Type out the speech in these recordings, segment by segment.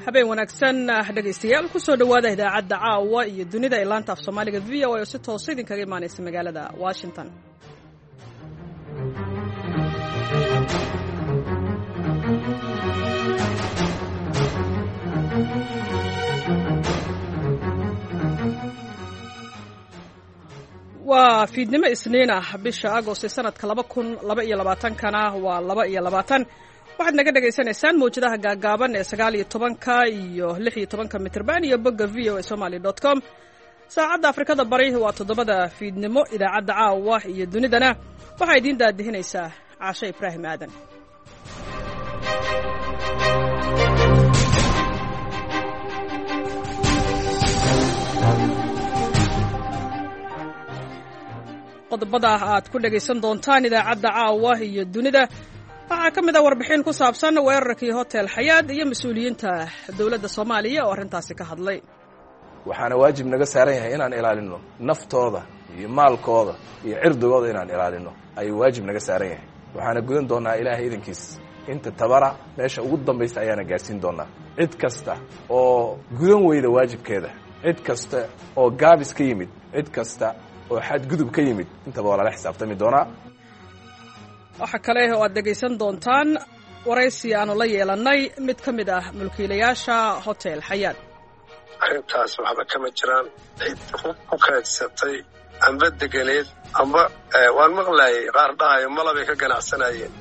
Habeen wanaagsan, dhegaystayaal. Kusoo dhowaada idaacadda Caawa iyo Dunida ee laanta af Soomaaliga VOA oo si toosa idinkaga imaanaysa magaalada Washington. Waa fiidnimo Isniin ah, bisha Agost ee sanadka 2022-kana waa 22. Waxaad naga dhagaysanaysaan mawjadaha gaagaaban ee 19-ka iyo 16-ka mitrban iyo bogga voasomali.com. Saacadda Afrikada Bari waa 7-da fiidnimo. Idaacadda Caawa iyo Dunidana waxaa idiin daadihinaysaa Caashe Ibraahim Aadan. Qodobada aad ku dhagaysan doontaan idaacadda Caawa iyo Dunida waxaa ka mid ah warbixin ku saabsan weerarkii Hotel Xayaad iyo mas-uuliyiinta dowladda Soomaaliya oo arrintaasi ka hadlay. Waxaana waajib naga saaran yahay inaan ilaalino naftooda iyo maalkooda iyo cirdigooda, inaan ilaalino ayuu waajib naga saaran yahay. Waxaana gudan doonaa, Ilaahay idankiis, inta tabara meesha ugu dambaysta ayaana gaarsiin doonaa. Cid kasta oo gudan weyda waajibkeeda, cid kasta oo gaabis ka yimid, cid kasta oo xadgudub ka yimid, intaba waa lala xisaabtami doonaa. Waxaa kale oo aad dhegaysan doontaan waraysi aanu la yeelannay mid ka mid ah mulkiilayaasha Hotel Xayaad. Arrintaas waxba kama jiraan. Cid ku kaadsatay amba deganeed amba waan maqlaayay qaar dhahayo malabay ka ganacsanayeen.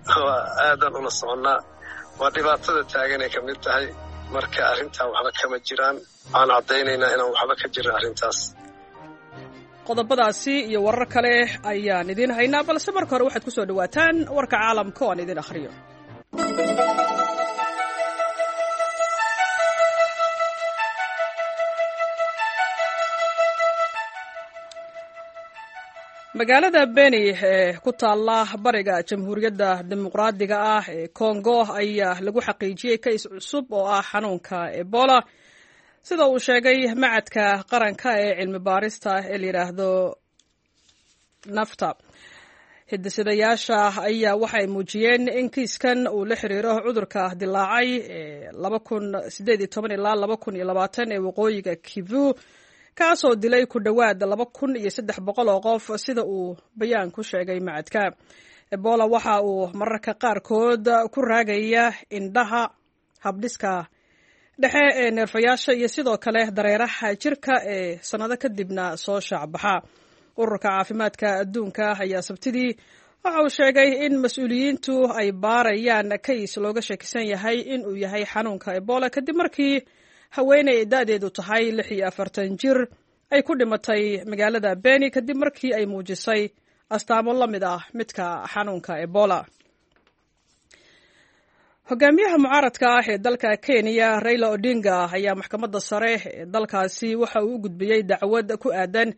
Waa aadaan ula soconnaa, waa dhibaatada taaganay ka mid tahay. Marka arrintaa waxba kama jiraan, waxaan caddaynaynaa inaan waxba ka jirin arrintaas. Qodobadaasi iyo warar kale ayaan idiin haynaa, balse marka hore waxaad ku soo dhowaataan warka caalamka oo aan idiin akhriyo. Magaalada Beni ee ku taalla bariga Jamhuuriyadda Dimuqraadiga ah ee Kongo ayaa lagu xaqiijiyey kays cusub oo ah xanuunka Ebola, sida uu sheegay macadka qaranka ee cilmi baarista ee la yidhaahdo Nafta. Hidisidayaasha ayaa waxay muujiyeen in kiiskan uu la xiriiro cudurka dilaacay ee 2018 ilaa 2020 ee waqooyiga Kivu, kaasoo dilay ku dhowaad 2300 oo qof, sida uu bayaan ku sheegay macadka. Ebola waxa uu mararka qaarkood ku raagaya indhaha, habdhiska dhexe ee neerfayaasha iyo sidoo kale dareeraha jirka ee sannado kadibna soo shaacbaxa. Ururka Caafimaadka Adduunka ayaa Sabtidii waxa uu sheegay in mas-uuliyiintu ay baarayaan kays looga shakisan yahay in uu yahay xanuunka Ebola, kadib markii haweeney da-deedu tahay 46 jir ay ku dhimatay magaalada Beni kadib markii ay muujisay astaamo la mid ah midka xanuunka Ebola. Hogaamiyaha mucaaradka ah ee dalka Kenya, Raila Odinga, ayaa maxkamadda sare ee dalkaasi waxa uu u gudbiyey dacwad ku aadan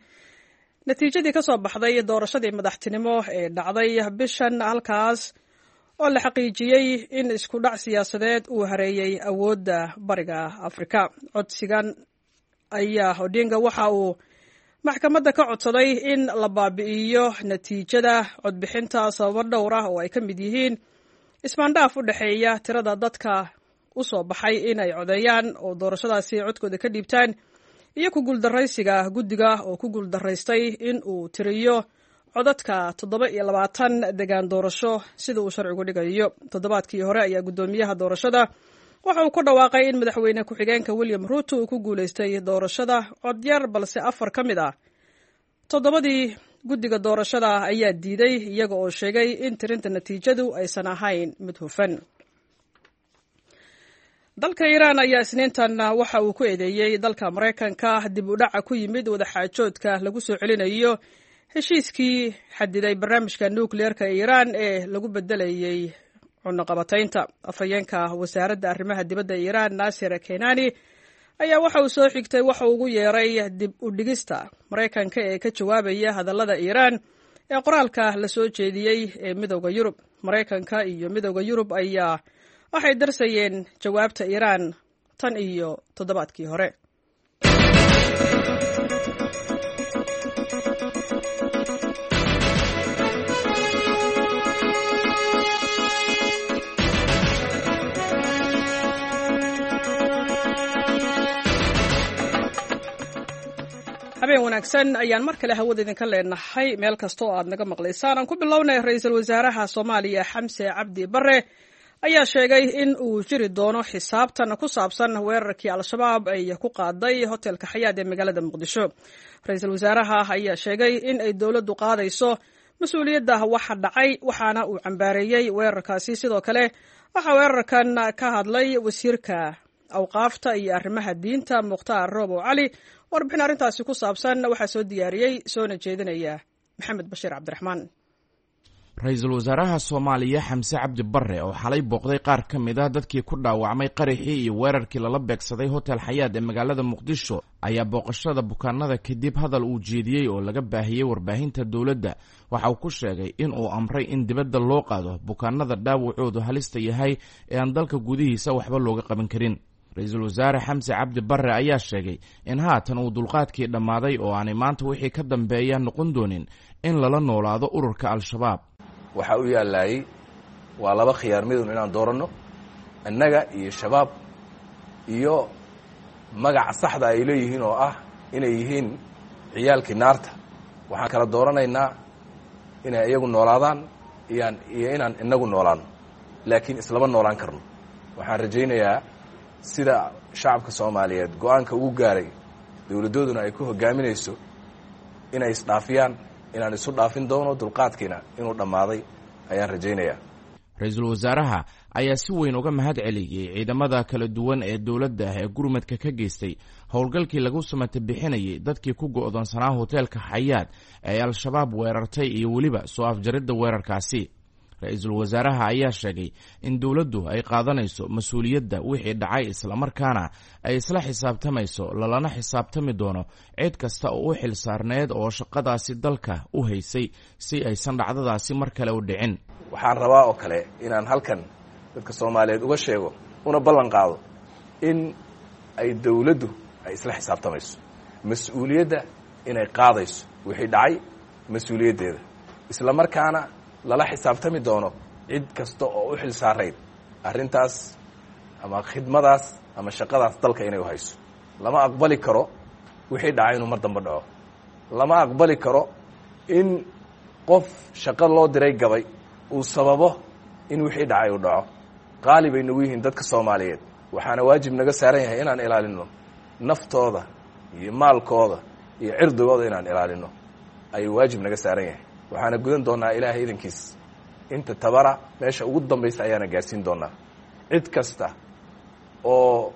natiijadii ka soo baxday doorashadii madaxtinimo ee dhacday bishan, halkaas oo la xaqiijiyey in isku dhac siyaasadeed uu hareeyey awoodda bariga Afrika. Codsigan ayaa Odinga waxa uu maxkamadda ka codsaday in la baabi'iyo natiijada codbixinta sababo dhowr ah oo ay ka mid yihiin ismaandhaaf u dhexeeya tirada dadka u soo baxay inay codeeyaan oo doorashadaasi codkooda ka dhiibtaan iyo ku guuldaraysiga guddiga oo ku guuldaraystay in uu tiriyo codadka 27 degaan doorasho sida uu sharcigu dhigayo. Toddobaadkii hore ayaa guddoomiyaha doorashada waxa uu ku dhawaaqay in madaxweyne ku-xigeenka William Ruto uu ku guulaystay doorashada codyar, balse afar ka mid ah toddobadii guddiga doorashada ayaa diiday, iyaga oo sheegay in tirinta natiijadu aysan ahayn mid hufan. Dalka Iiraan ayaa Isniintan waxa uu ku eedeeyey dalka Maraykanka dib u dhaca ku yimid wadaxaajoodka lagu soo celinayo heshiiskii xadiday barnaamijka nukliyeerka ee Iiraan ee lagu bedelayey cunaqabataynta. Afhayeenka wasaaradda arrimaha dibadda Iiraan, Naasir Kenani, ayaa waxa uu soo xigtay waxa uu ugu yeeray dib u dhigista Maraykanka ee ka jawaabaya hadallada Iiraan ee qoraalka la soo jeediyey ee Midowda Yurub. Maraykanka iyo Midowda Yurub ayaa Waxay darsayeen jawaabta Iiraan tan iyo toddobaadkii hore. Habeen wanaagsan ayaan mar kale hawada idinka leenahay meel kasta oo aad naga maqlaysaan. Aan ku bilownay, ra-iisul wasaaraha Soomaaliya Xamse Cabdi Bare ayaa sheegay in uu jiri doono xisaabtan ku saabsan weerarkii Al-Shabaab ay ku qaaday hotelka Xayaad ee magaalada Muqdisho. Ra-iisul wasaaraha ayaa sheegay in ay dowladdu qaadayso mas-uuliyadda waxa dhacay, waxaana uu cambaareeyey weerarkaasi. Sidoo kale waxaa weerarkan ka hadlay wasiirka awqaafta iyo arrimaha diinta Mukhtaar Roobow Cali. Warbixin arrintaasi ku saabsan waxaa soo diyaariyey soona jeedinaya Maxamed Bashiir Cabdiraxmaan. Ra-iisul wasaaraha Soomaaliya Xamse Cabdi Barre oo xalay booqday qaar ka mid ah dadkii ku dhaawacmay qaraxii iyo weerarkii lala beegsaday hotel Xayaad ee magaalada Muqdisho ayaa booqashada bukaanada kadib hadal uu jeediyey oo laga baahiyey warbaahinta dowladda waxa uu ku sheegay in uu amray in dibadda loo qaado bukaanada dhaawacoodu halista yahay ee aan dalka gudihiisa waxba looga qaban karin. Ra-iisul wasaare Xamse Cabdi Barre ayaa sheegay in haatan uu dulqaadkii dhammaaday oo aanay maanta wixii ka dambeeya noqon doonin in lala noolaado ururka Al-Shabaab. Waxaa u yaallaayey waa laba khiyaar midun inaan dooranno, annaga iyo Shabaab iyo magaca saxda ay leeyihiin oo ah inay yihiin ciyaalkii naarta. Waxaan kala dooranaynaa inay iyagu noolaadaan iyaan iyo inaan inagu noolaano, laakiin islama noolaan karno. Waxaan rajaynayaa sida shacabka Soomaaliyeed go-aanka ugu gaaray, dowladdooduna ay ku hoggaaminayso, inay isdhaafiyaan, inaan isu dhaafin doono, dulqaadkiina inuu dhammaaday ayaan rajaynayaa. Ra-iisul wasaaraha ayaa si weyn uga mahad celiyey ciidamada kala duwan ee dowladda ee gurmadka ka geystay howlgalkii lagu samata bixinayay dadkii ku go'doonsanaa hoteelka Xayaad ee Al-Shabaab weerartay iyo weliba soo afjaridda weerarkaasi. Ra-iisul wasaaraha ayaa sheegay in dowladdu ay qaadanayso mas-uuliyadda wixii dhacay, islamarkaana ay isla xisaabtamayso, lalana xisaabtami doono cid kasta oo u xil saarneed oo shaqadaasi dalka u haysay si aysan dhacdadaasi mar kale u dhicin. Waxaan rabaa oo kale inaan halkan dadka Soomaaliyeed uga sheego una ballan qaado in ay dowladdu ay isla xisaabtamayso, mas-uuliyadda inay qaadayso wixii dhacay mas-uuliyaddeeda, islamarkaana lala xisaabtami doono cid kasta oo u xil saarayd arrintaas ama khidmadaas ama shaqadaas dalka inay u hayso. Lama aqbali karo wixii dhacay inuu mar dambe dhaco. Lama aqbali karo in qof shaqo loo diray gabay uu sababo in wixii dhacay uu dhaco. Qaali bay nagu yihiin dadka Soomaaliyeed, waxaana waajib naga saaran yahay inaan ilaalinno naftooda iyo maalkooda iyo cirdigooda, inaan ilaalinno ayuu waajib naga saaran yahay. Waxaana gudan doonaa Ilaahay idankiis inta tabara, meesha ugu dambaysa ayaana gaarsiin doonaa. Cid kasta oo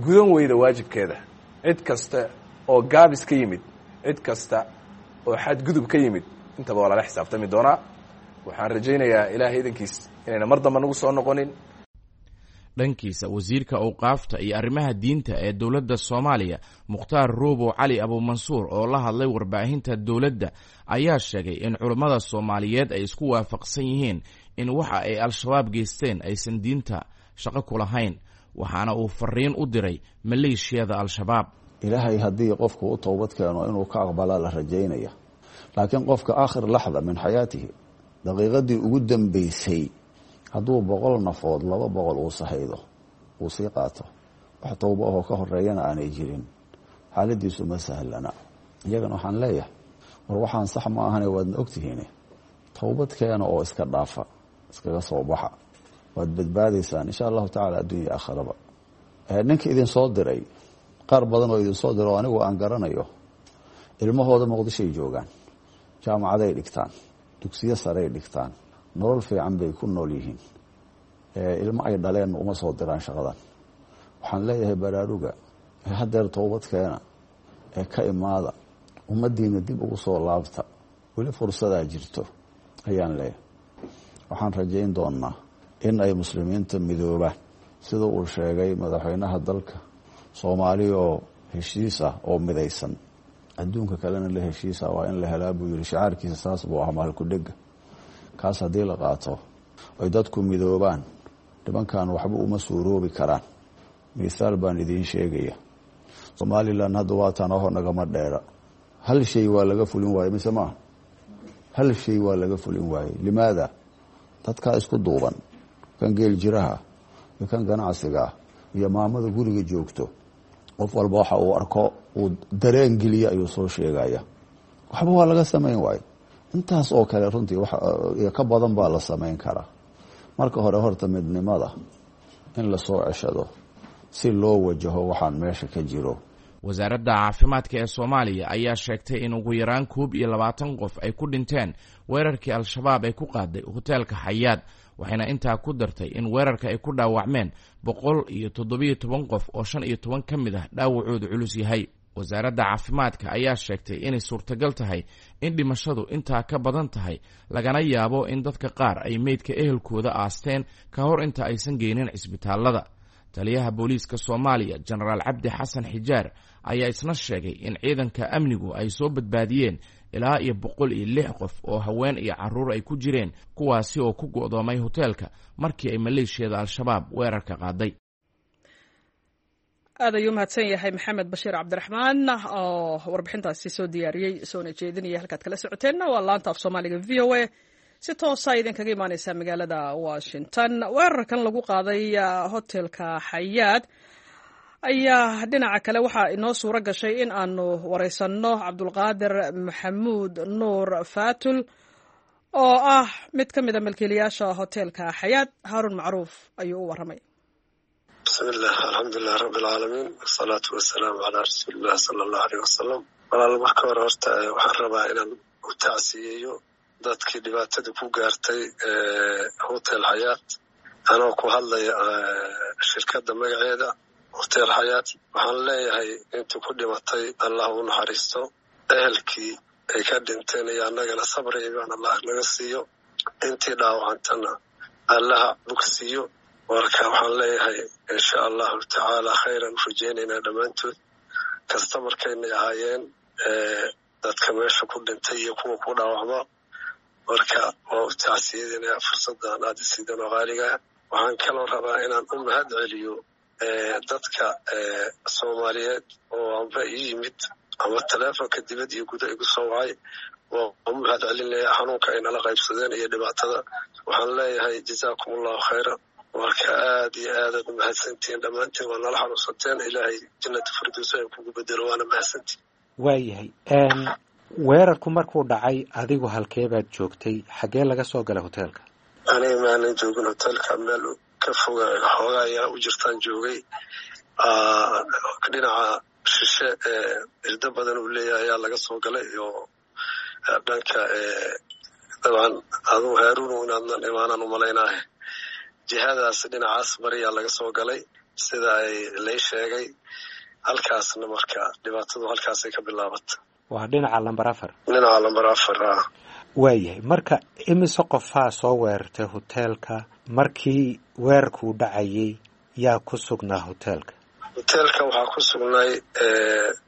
gudan weyda waajibkeeda, cid kasta oo gaabis ka yimid, cid kasta oo xadgudub ka yimid, intaba waa lala xisaabtami doonaa. Waxaan rajaynayaa Ilaahay idankiis inayna mar damba nagu soo noqonin. Dhankiisa, wasiirka awqaafta iyo arrimaha diinta ee dowladda Soomaaliya Mukhtaar Ruubow Cali Abuumansuur oo la hadlay warbaahinta dowladda ayaa sheegay in culummada Soomaaliyeed ay isku waafaqsan yihiin in waxa ay Al-Shabaab geysteen aysan diinta shaqo ku lahayn, waxaana uu fariin u diray maleeshiyada Al-Shabaab. Ilaahay haddii qofku u towbad keeno inuu ka aqbalaa la rajaynaya, laakiin qofka aakhir laxda min xayaatihi, daqiiqadii ugu dambeysay, hadduu 100 nafood 200 uu sahaydo uu sii qaato, wax towbo ahoo ka horeeyana aanay jirin, xaaladiisu ma sahlana. Iyagana waxaan leeyahay, war waxaan sax ma ahane, waadna ogtihiin, towbad keena oo iska dhaafa, iskaga soo baxa, waad badbaadaysaan insha Allahu tacala adduunya aakharaba. Ninka idin soo diray, qaar badan oo idinsoo diro oo anigu aan garanayo, ilmahooda Muqdishoay joogaan, jaamacaday dhigtaan, dugsiyo saray dhigtaan, nolol fiican bay ku nool yihiin. Ilmo ay dhaleen uma soo diraan shaqadan. Waxaan leeyahay, baraaruga ee haddeer towbad keena ee ka imaada, ummaddiina dib ugu soo laabta, weli fursadaa jirto ayaan leeyahay. Waxaan rajayn doonaa in ay muslimiinta midoobaan sida uu sheegay madaxweynaha dalka Soomaali, oo heshiis ah oo midaysan, adduunka kalena la heshiisa waa in la helaa buu yihi. Shicaarkiisa saas buu ahaa, maalkudhega kaas haddii la qaato ay dadku midoobaan. Nimankan waxba uma suuroobi karaan. Mithaal baan idiin sheegaya. Somalilan hadda waataan aho nagama dheera. Hal shay waa laga fulin waaye mise maaha? Hal shay waa laga fulin waaye. Limaada? Dadkaa isku duuban, kan geel jiraha iyo kan ganacsiga iyo maamada guriga joogto, qof walba waxa uu arko uu dareen geliya ayuu soo sheegaya. Waxba waa laga samayn waaye. Intaas oo kale runtii iyo ka badan baa la samayn karaa. Marka hore horta midnimada in lasoo ceshado si loo wajaho waxaan meesha ka jiro. Wasaaradda caafimaadka ee Soomaaliya ayaa sheegtay in ugu yaraan 21 qof ay ku dhinteen weerarkii Al-Shabaab ay ku qaaday hoteelka Xayaad, waxayna intaa ku dartay in weerarka ay ku dhaawacmeen 117 qof oo 15 ka mid ah dhaawacoodu culus yahay. Wasaaradda caafimaadka ayaa sheegtay inay suurtagal tahay in dhimashadu intaa ka badan tahay, lagana yaabo in dadka qaar ay meydka ehelkooda aasteen ka hor inta aysan geynin cisbitaallada. Taliyaha booliiska Soomaaliya, Jenaraal Cabdi Xasan Xijaar, ayaa isna sheegay in ciidanka amnigu ay soo badbaadiyeen ilaa iyo 106 qof oo haween iyo carruur ay ku jireen, kuwaasi oo ku go'doomay hoteelka markii ay maleeshiyada Al-Shabaab weerarka qaaday. Aad ayuu mahadsan yahay Maxamed Bashiir Cabdiraxmaan oo warbixintaasi soo diyaariyey soona jeedinaya. Halkaad kala socoteenna waa laanta af Soomaaliga VOA, si toosa idinkaga imaaneysa magaalada Washington. Weerarkan lagu qaaday hotelka Xayaad ayaa dhinaca kale waxaa inoo suuro gashay in aanu wareysanno Cabdulqaadir Maxamuud Nuur Faatul oo ah mid ka mid a milkiilayaasha hotelka Xayaad. Haaruun Macruuf ayuu u waramay. Bismillah, alxamdulilah rabbi alcaalamiin, wasalaatu wasalaamu calaa rasuulillah sala allahu aleyh wasalam. Walaal, marka hore horta waxaan rabaa inaan u tacsiyeeyo dadkii dhibaatada ku gaartay Hotel Xayaat, anoo ku hadlaya shirkadda magaceeda Hotel Xayaat. Waxaan leeyahay intii ku dhimatay Allah u naxariisto, ehelkii ay ka dhinteen iyo annagana sabri imaan Allah naga siiyo, intii dhaawacantana Allaha bogsiiyo. Marka waxaan leeyahay insha allahu tacaala khayran u rajeynaynaa dhammaantood. Kastamarkaynay ahaayeen dadka meesha ku dhintay iyo kuwa ku dhaawacma. Marka waa u tacsiyadinaya fursaddan aad isiidan oo qaaligaa. Waxaan kaloo rabaa inaan u mahad celiyo dadka Soomaaliyeed oo amba ii yimid ama taleefonka dibad iyo guda igu soo wacay. Waa u mahad celinaya xanuunka ay nala qaybsadeen iyo dhibaatada. Waxaan leeyahay jazaakum allahu khayra. Marka aad iyo aadaad umahadsantihiin dhammaantiin, waa nala xanuunsanteen. Ilaahay jannata firdowsa ay kugu bedelo, waana mahadsantihin. Waayahay, weerarku markuu dhacay adigu halkee baad joogtay? Xaggee laga soo galay hoteelka? Aniga maanan joogin hoteelka, meel ka foga xoogaa ayaa u jirtaan joogay. Dhinaca shishe ee irdo badan uu leeyahay ayaa laga soo galay oo dhanka dabcan aduu Haaruun inaadnan imaanaan umalaynaahe, jihadaas dhinacaas bariyaa laga soo galay sida ay lay sheegay. Halkaasna marka dhibaatadu halkaasay ka bilaabata. Waa dhinaca lamber 4? Dhinaca lamber 4 a. Waayahay, marka imise qofaa soo weerartay hoteelka? Markii weerarkuu dhacayay yaa ku sugnaa hoteelka? Hoteelka waxaa ku sugnaay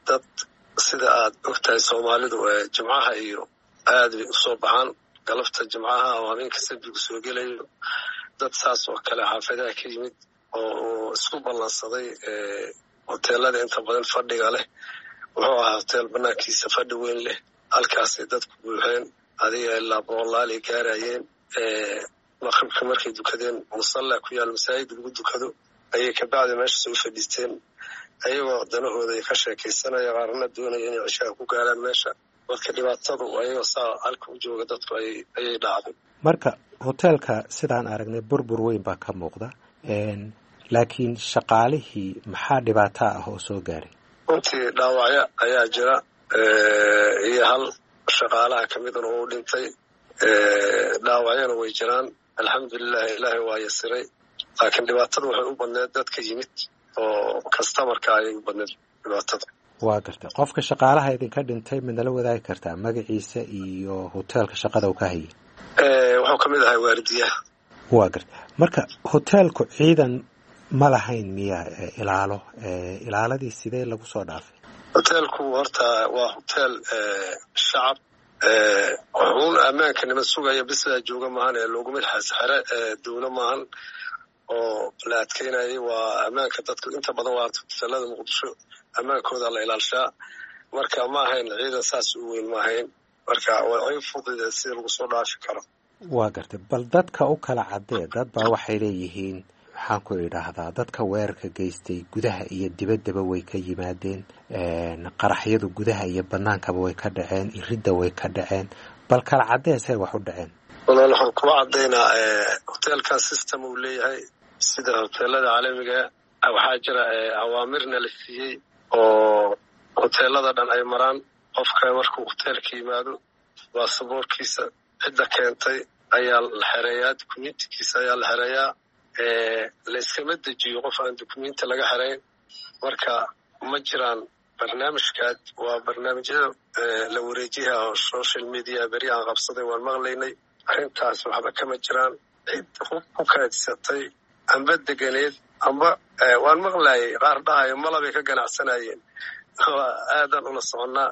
dad, sida aad ogtahay Soomaalidu jimcaha iyo aad bay usoo baxaan galabta jimcaha oo habeenka sabbigu soo gelayo. Dad saas oo kale xaafadaha ka yimid oo isku ballansaday hoteelada inta badan fadhiga leh. Wuxuu ahaa hoteel banaankiisa fadhi weyn leh, halkaasay dadku buuxeen, adiga ilaa boqolaalay gaarayeen. Maqribka markay dukadeen, musalla ku yaal masaajid lagu dukado, ayay kabacdi meesha soo fadhiisteen, ayagoo danahooda ay ka sheekaysanaya, qaarna doonaya inay cishaha ku gaaraan meesha. Marka dhibaatadu ayagoo saa halka u jooga dadku ayay dhacday. Marka hoteelka sidaan aragnay burbur weyn baa ka muuqda, laakiin shaqaalihii maxaa dhibaato ah oo soo gaaray? Runtii dhaawacyo ayaa jira iyo hal shaqaalaha ka midna uu dhintay, dhaawacyana way jiraan. Alxamdulilah, ilaahay waa yasiray, laakiin dhibaatada waxay u badneed dadka yimid oo kastamarka ayay u badneed dhibaatada. Waa gartay. Qofka shaqaalaha idinka dhintay midnala wadaagi kartaa magaciisa iyo hoteelka shaqada uu ka hayay? Wuxuu ka mid ahay waardiyaha. Waa gartay. Marka hoteelku ciidan ma lahayn miya ilaalo? Ilaaladii sidee lagu soo dhaafay? Hoteelku horta waa hoteel shacab, wuxuun ammaanka nima sugaya bisaa jooga maahan ee looguma xere dowlo maahan. oo la adkeynayay. Waa ammaanka dadka inta badan waa hoteelada Muqdisho ammaankooda la ilaalshaa. Marka ma ahayn ciidan saas u weyn, ma ahayn. Marka way fududeed sida lagu soo dhaafi karo. Waa gartay. Bal dadka u kala caddee. Dad baa waxay leeyihiin, maxaan ku idhaahdaa, dadka weerarka geystay gudaha iyo dibaddaba way ka yimaadeen, qaraxyadu gudaha iyo banaankaba way ka dhaceen, iridda way ka dhaceen. Bal kala caddee say wax u dhaceen. Walaal, waxaan kuwa caddaynaa hoteelkan system uu leeyahay sida hoteelada caalamiga. Waxaa jira awaamirna la siiyey oo hoteelada dhan ay maraan. Qofka markuu hoteelka yimaado, baasaboorkiisa cidda keentay ayaa la xereeyaa, dukumentikiisa ayaa la xereeyaa. Layskama dejiyo qof aan dukumenti laga xereyn. Marka ma jiraan barnaamijkaad. Waa barnaamijyada la wareejiyaha oo social media beri aan qabsaday waan maqlaynay. Arrintaas waxba kama jiraan. Cid hub ku kaadsatay amba deganeed amba waan maqlayay qaar dhahayo malabay ka ganacsanayeen. Waa aadaan ula soconnaa,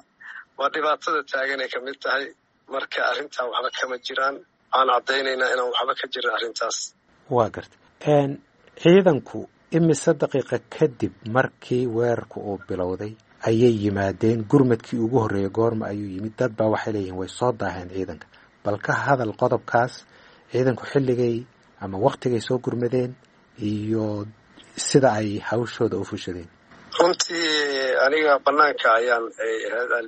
waa dhibaatada taaganay ka mid tahay. Marka arrintaa waxba kama jiraan. Waxaan caddaynaynaa inaan waxba ka jirin arrintaas. Waa garta. Ciidanku imise daqiiqa kadib markii weerarku uu bilowday ayay yimaadeen? Gurmadkii ugu horreeyey goorma ayuu yimid? Dad baa waxay leeyihiin way soo daaheen ciidanka. Bal ka hadal qodobkaas, ciidanku xilligay ama waktigay soo gurmadeen iyo sida ay hawshooda u fushadeen. Runtii aniga banaanka ayaan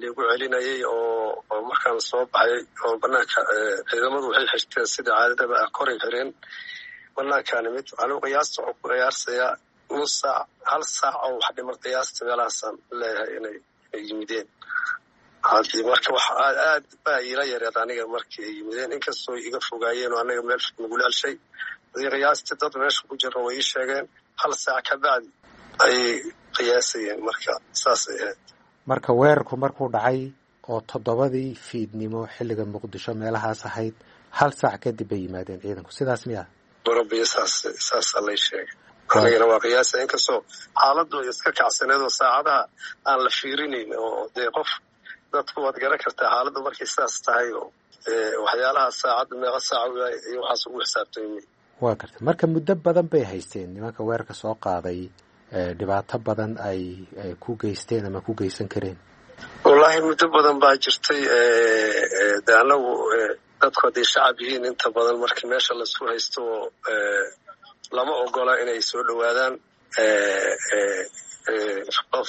liigu celinayay oo markaan soo baxay oo banaanka ciidamadu waxay xirteen sida caadadaba ah, koray xireen. Banaankaa nimid. Anigu qiyaasta waxuu ku ciyaarsayaa nus saac, hal saac oo wax dhiman qiyaasta meelahaasaan leeyahay inay yimideen. Hadii marka wax aad baa iila yareed aniga markii ay yimideen, inkastoo iga fogaayeen oo anaga meel nagula helshay. Hadii qiyaastii dad meesha ku jirna way ii sheegeen hal saac ka bacdi ayay qiyaasayeen. Marka saasay ahayd. Marka weerarku markuu dhacay oo 7dii fiidnimo xilliga Muqdisho meelahaas ahayd, hal saac kadib bay yimaadeen ciidanku, sidaas miya? Rabbi, saas saasaa lay sheegay. Anigana waa qiyaasa, inkastoo xaaladdu ay iska kacsaneed oo saacadaha aan la fiirinayn oo dee qof dadku waad garan kartaa xaaladdu markay sidaas tahay oo waxyaalaha saacadda meeqa saaca iyo waxaas ugu xisaabtami. Waa gartay. Marka muddo badan bay haysteen nimanka weerarka soo qaaday, dhibaato badan ay ku geysteen ama ku geysan kareen. Wallaahi muddo badan baa jirtay. De anagu dadku hadday shacab yihiin, inta badan markii meesha laisku haysto oo lama ogola inay soo dhowaadaan.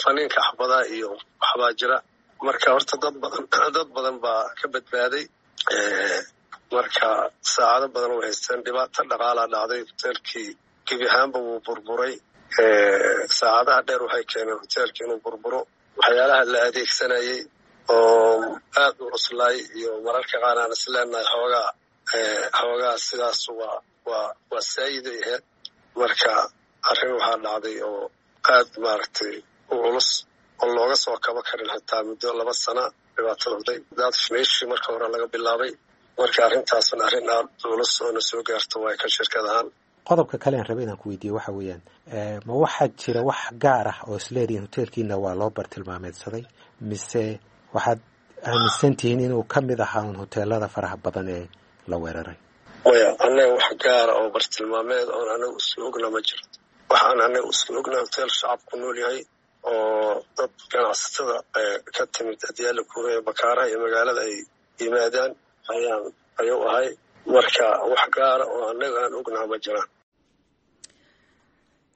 Faniinka axbadaa iyo waxbaa jira. Marka horta dad badan baa ka badbaaday. Marka saacado badan way haysteen. Dhibaato dhaqaalaa dhacday, hoteelkii gebi ahaanba wuu burburay. Saacadaha dheer waxay keeneen hoteelkii inuu burburo. Waxyaalaha la adeegsanayay oo aad u cuslaay iyo mararka qaar aan isleenahay xoogaa sidaas waa saayiday ahayd. Marka arrin waxaa dhacday oo aad maaragtay u culus oo looga soo kaba karin xitaa muddo 2 sana dhibaatada hurday daad meeshii marka hore laga bilaabay. Marka arrintaasna arrin aad culus oo na soo gaarto waay ka shirkad ahaan. Qodobka kale aan rabay inaan ku weydiiyo waxa weeyaan, ma waxaa jira wax gaar ah oo isleedihiin hoteelkiina waa loo bartilmaameedsaday, mise waxaad aaminsan tihiin inuu ka mid ahaa un hoteelada faraha badan ee la weeraray? Maya, annaga wax gaara oo bartilmaameed oon anaga isku ogna ma jirto. Waxaan anaga isku ogna hoteel shacab ku nool yahay oo dad ganacsatada ka timid adyaala kuuraya bakaaraha iyo magaalada ay yimaadaan ayaan ayuu ahay. Marka wax gaara oo annaga aan ognaha ma jiraan.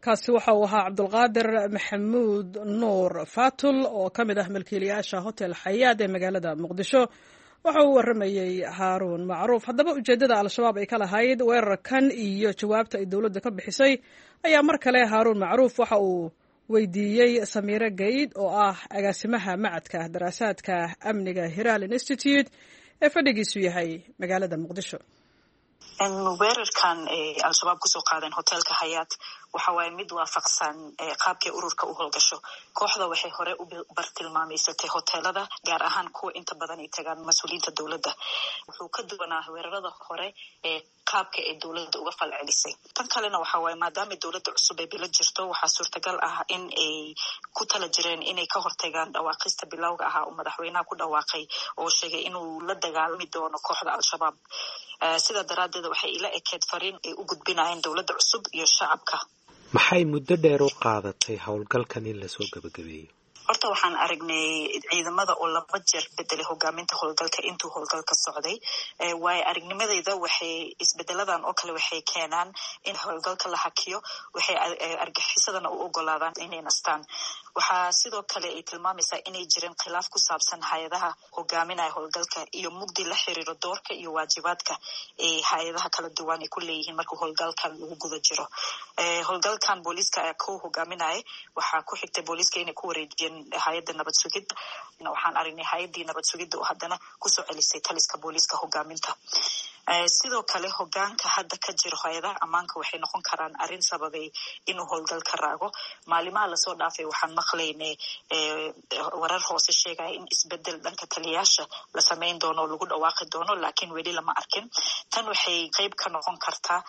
Kaasi waxa uu ahaa Cabdulqaadir Maxamuud Nuur Fatul oo ka mid ah milkiilayaasha Hotel Xayaad ee magaalada Muqdisho. Waxa uu waramayey Haaruun Macruuf. Haddaba ujeeddada Al-Shabaab ay ka lahayd weerarkan iyo jawaabta ay dowladda ka bixisay ayaa mar kale Haaruun Macruuf waxa uu weydiiyey Samiire Gayd oo ah agaasimaha macadka daraasaadka amniga Hiraal Institute ee fadhigiisu yahay magaalada Muqdisho. Weerarkan Al-Shabaab kusoo qaadeen hoteelka Hayaat waxa waaye mid waafaqsan qaabkay ururka u howlgasho. Kooxda waxay hore u bartilmaameysatay hoteelada, gaar ahaan kuwa inta badan ay tagaan mas-uuliyiinta dowladda. Wuxuu ka duwanaa weerarada hore ee qaabka ay dowladda uga falcelisay. Tan kalena waxa waaye, maadaama dowladda cusub ay bilo jirto, waxaa suurtagal ah in ay ku tala jireen inay ka hortagaan dhawaaqista bilowga ahaa uu madaxweynaha ku dhawaaqay oo sheegay inuu la dagaalami doono kooxda Al-Shabaab. Sidaa daraaddeed waxay ila ekeed fariin ay u gudbinayeen dowladda cusub iyo shacabka. Maxay muddo dheer u qaadatay howlgalkan in lasoo gabagabeeyo? Horta waxaan aragnay ciidamada oo 2 jeer bedelay hogaaminta howlgalka intuu howlgalka socday. Waayo aragnimadeyda waxay isbedeladan oo kale waxay keenaan in howlgalka la hakiyo, waxay argaxisadana u ogolaadaan inay nastaan. Waxaa sidoo kale ay tilmaamaysaa inay jireen khilaaf ku saabsan hay-adaha hogaaminaya howlgalka iyo mugdi la xiriiro doorka iyo waajibaadka ay hay-adaha kala duwan ay ku leeyihiin marka howlgalkan lagu guda jiro. Howlgalkan booliiska ayaa ku hogaaminaya, waxaa ku xigtay booliiska inay ku wareejiyeen hay-adda nabad sugidda. Waxaan aragnay hay-addii nabad sugidda oo haddana kusoo celisay taliska booliiska hogaaminta. Sidoo kale hogaanka hadda ka jiro hay-adaha ammaanka waxay noqon karaan arrin sababay inuu howlgalka raago. Maalimaha lasoo dhaafay waxaan maqlaynay warar hoose sheegaya in isbedel dhanka taliyaasha la samayn doono oo lagu dhawaaqi doono, laakiin weli lama arkin. Tan waxay qeyb ka noqon kartaa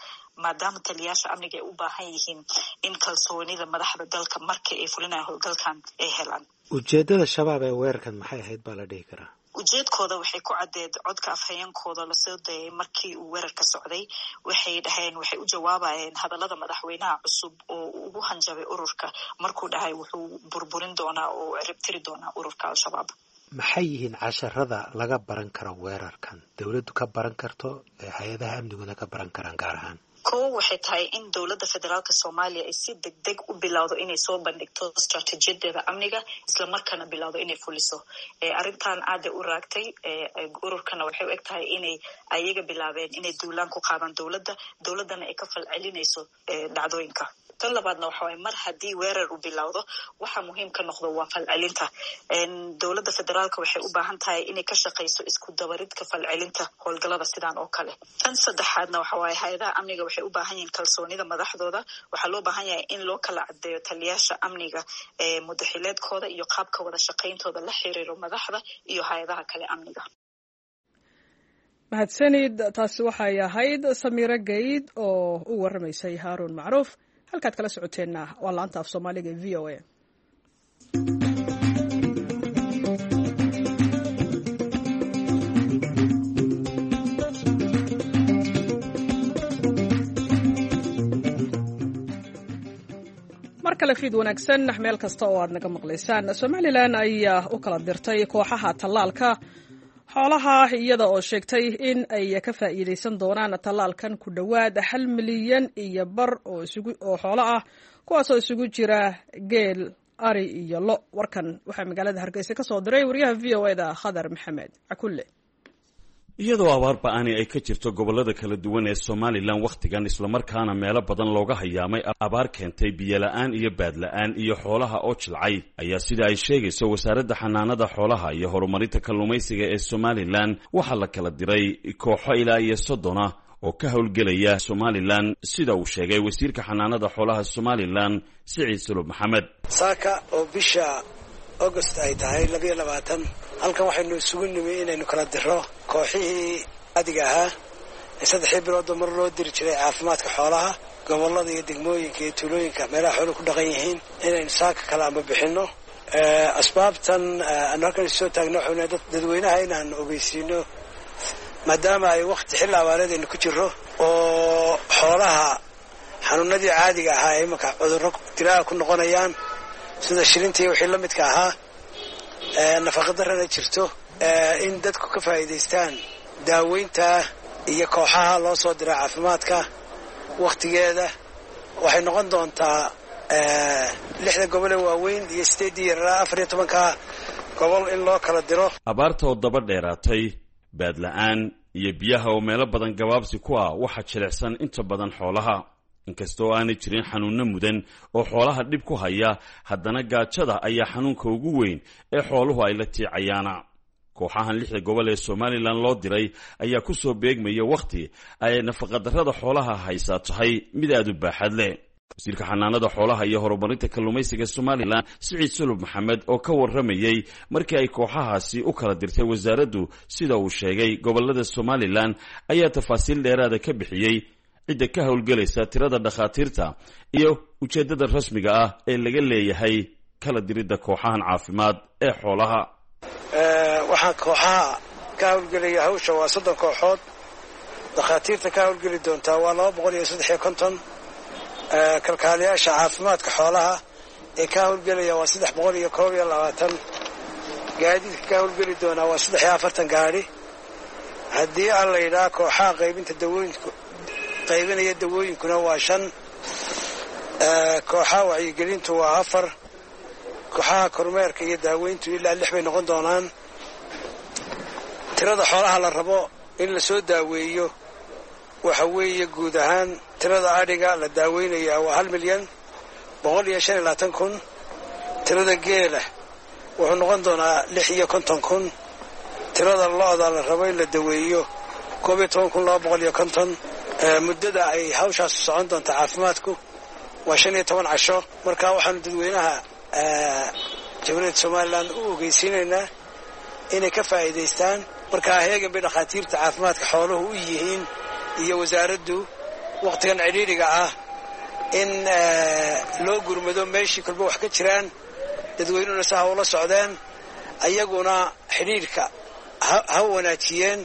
maadaama taliyaasha amniga ay u baahan yihiin in kalsoonida madaxda dalka marka ay fulinayaan howlgalkan ay helaan. Ujeedada shabaab ee weerarkan maxay ahayd baa la dhihi karaa? Ujeedkooda waxay ku caddeed codka afhayeenkooda lasoo dayay markii uu weerarka socday. Waxay dhaheen waxay u jawaabayeen hadallada madaxweynaha cusub oo ugu hanjabay ururka markuu dhahay wuxuu burburin doonaa oo ciribtiri doonaa ururka Al-Shabaab. Maxay yihiin casharada laga baran karo weerarkan, dowladdu ka baran karto, hay-adaha amniguna ka baran karaan gaar ahaan? Kow waxay tahay in dowladda federaalka Soomaaliya ay si deg deg u bilowdo inay soo bandhigto istaraatiijiyadeeda amniga, islamarkaana bilowdo inay fuliso. Arrintan aaday u raagtay, ururkana waxay u eg tahay inay ayaga bilaabeen inay duulaan ku qaadaan dowladda, dowladdana ay ka falcelinayso dhacdooyinka. Tan labaadna waxa waye mar haddii weerar uu bilowdo waxa muhiim ka noqdo waa falcelinta. Dowladda federaalka waxay u baahan tahay inay ka shaqayso isku dabaridka falcelinta howlgalada sidaan oo kale. Tan saddexaadna waxa waaye hay-adaha amniga waxay u baahan yihiin kalsoonida madaxdooda. Waxaa loo baahan yahay in loo kala caddeeyo taliyaasha amniga ee mudaxileedkooda iyo qaabka wada shaqayntooda la xiriiro madaxda iyo hay-adaha kale amniga. Mahadsanid, taasi waxay ahayd Samiiro Geyd oo u waramaysay Haaruun Macruuf. Halkaad kala socoteenna waa laanta af Soomaaliga ee VOA. Mar kale fiid wanaagsan meel kasta oo aad naga maqlaysaan. Somalilan ayaa u kala dirtay kooxaha tallaalka xoolaha iyada oo sheegtay in ay ka faa'iidaysan doonaan tallaalkan ku dhowaad 5.5 milyan oo xoolo ah, kuwaasoo isugu jira geel, ari iyo lo. Warkan waxaa magaalada Hargeysa ka soo diray wariyaha VOA-da Khadar Maxamed Cakulle. Iyadoo abaar ba-ani ay ka jirto gobollada kala duwan ee Somalilan wakhtigan, islamarkaana meelo badan looga hayaamay abaar keentay biyola-aan iyo baadla-aan iyo xoolaha oo jilcay, ayaa sida ay sheegayso wasaaradda xanaanada xoolaha iyo horumarinta kalluumaysiga ee Somalilan waxaa la kala diray kooxo ilaa iyo 30 ah oo ka howlgelaya Somalilan, sida uu sheegay wasiirka xanaanada xoolaha Somalilan Siciid Sulub Maxamed. Saaka oo bisha August ay tahay 22, halkan waxaynu isugu nimi inaynu kala diro kooxihii caadiga ahaa ee 3 biloodba mar loo diri jiray caafimaadka xoolaha gobollada iyo degmooyinka iyo tuulooyinka meelaha xooluhu ku dhaqan yihiin, inaynu saaka kale amba bixinno. Asbaabtan aanu halkan isu soo taagno waxaynu dadweynaha inaan ogeysiino, maadaama ay wakti xilli abaareed aynu ku jirro oo xoolaha xanuunadii caadiga ahaa ee imanka cudurro dilaaha ku noqonayaan sida shilintii wixii la midka ahaa, nafaqadarrana jirto, in dadku ka faa'iidaystaan daaweynta iyo kooxaha loo soo dira caafimaadka wakhtigeeda. Waxay noqon doontaa 6 gobol ee waaweyn iyo 8 yaraa 14ka gobol in loo kala diro. Abaarta oo daba dheeraatay, baadla-aan iyo biyaha oo meelo badan gabaabsi ku ah, waxaa jilicsan inta badan xoolaha. Inkastoo aanay jirin xanuunno mudan oo xoolaha dhib ku haya, haddana gaajada ayaa xanuunka ugu weyn ee xooluhu ay la tiicayaana. Kooxahan 6 gobol ee Somalilan loo diray ayaa ku soo beegmaya wakhti ay nafaqadarrada xoolaha haysaa tahay mid aada u baaxad leh. Wasiirka xanaanada xoolaha iyo horumarinta kalluumaysiga Somalilan Siciid Sulub Maxamed oo ka warramayey markii ay kooxahaasi u kala dirtay wasaaraddu, sida uu sheegay gobollada Somalilan, ayaa tafaasiil dheeraada ka bixiyey cidda ka howlgelaysa, tirada dhakhaatiirta iyo ujeeddada rasmiga ah ee laga leeyahay kala diridda kooxahan caafimaad ee xoolaha. Waxaa kooxaha ka howlgelaya hawsha waa 30 kooxood Dhakhaatiirta ka howlgeli doontaa waa 253. Kalkaaliyaasha caafimaadka xoolaha ee ka howlgelaya waa 321. Gaadiidka ka howlgeli doonaa waa 43 gaadhi. Haddii aan la yidhaha kooxaha qaybinta dawooyinku qaybinaya dawooyinkuna waa 5, kooxaha wacyigelintu waa 4, kooxaha kormeerka iyo daaweyntu ilaa 6 bay noqon doonaan. Tirada xoolaha la rabo in lasoo daaweeyo waxa weeye guud ahaan tirada adhiga la daaweynayaa waa 1,125,000. Tirada geela wuxuu noqon doonaa 56,000. Tirada lo'da la rabo in la daweeyo 11,250. Muddada ay hawshaas socon doonta caafimaadku waa 15 casho. Marka waxaanu dadweynaha Jamhuuriyadda Somalilan u ogeysiinaynaa inay ka faa'iidaystaan. Markaa heegan bay dhakhaatiirta caafimaadka xooluhu u yihiin iyo wasaaraddu wakhtigan cidhiidhiga ah in loo gurmado meeshii kolba wax ka jiraan, dadweynuhuna si ha ula socdeen, ayaguna xidhiidhka ha wanaajiyeen,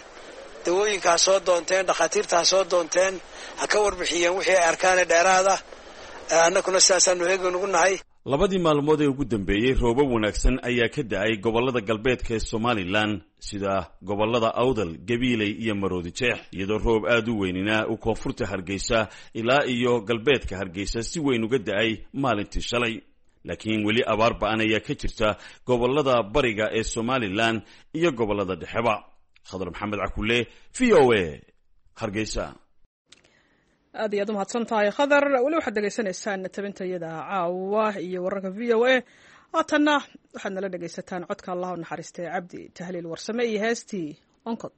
dawooyinka ha soo doonteen, dhakhaatiirta ha soo doonteen, ha ka warbixiyeen wixii ay arkaane dheeraada. Annaguna sidaasaanu heegan ugu nahay. Labadii maalmood ee ugu dambeeyey roobab wanaagsan ayaa ka da-ay gobollada galbeedka ee Somalilan, sida gobollada Awdal, Gabiiley iyo Maroodi Jeex, iyadoo roob aad u weynina uu koonfurta Hargeysa ilaa iyo galbeedka Hargeysa si weyn uga da-ay maalintii shalay. Laakiin weli abaar ba-an ayaa ka jirta gobollada bariga ee Somalilan iyo gobollada dhexeba. Khadar Maxamed Cakule, V O A, Hargeysa. Aad iyo aad u mahadsan tahay Khadar. Weli waxaad dhegaysanaysaan tabintayada caawa iyo wararka V O A. Haatanna waxaad nala dhegaysataan codka Allah u naxariistay Cabdi Tahliil Warsame iyo heestii Onkod.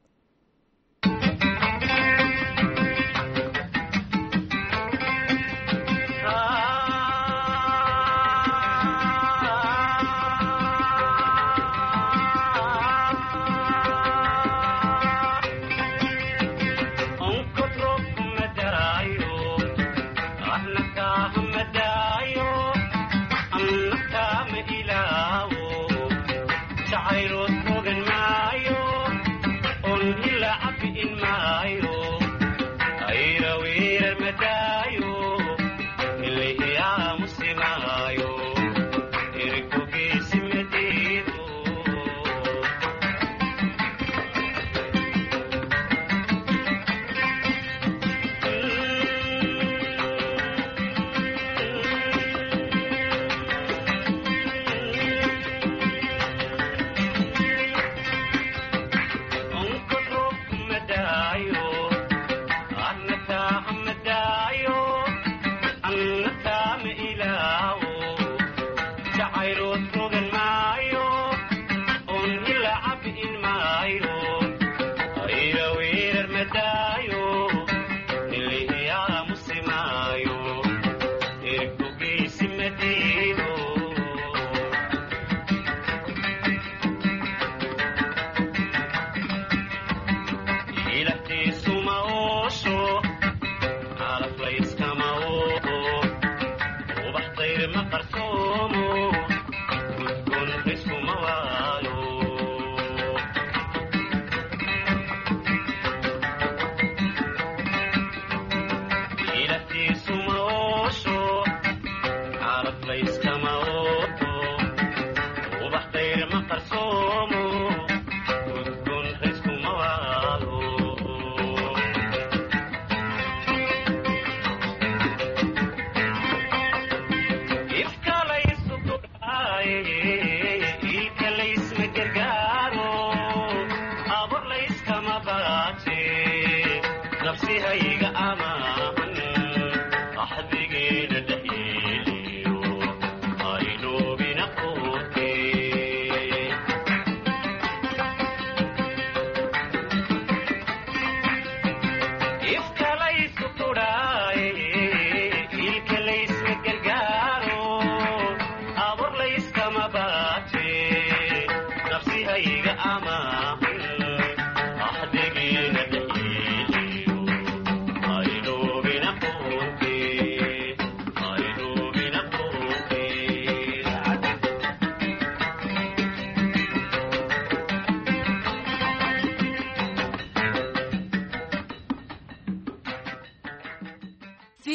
Wali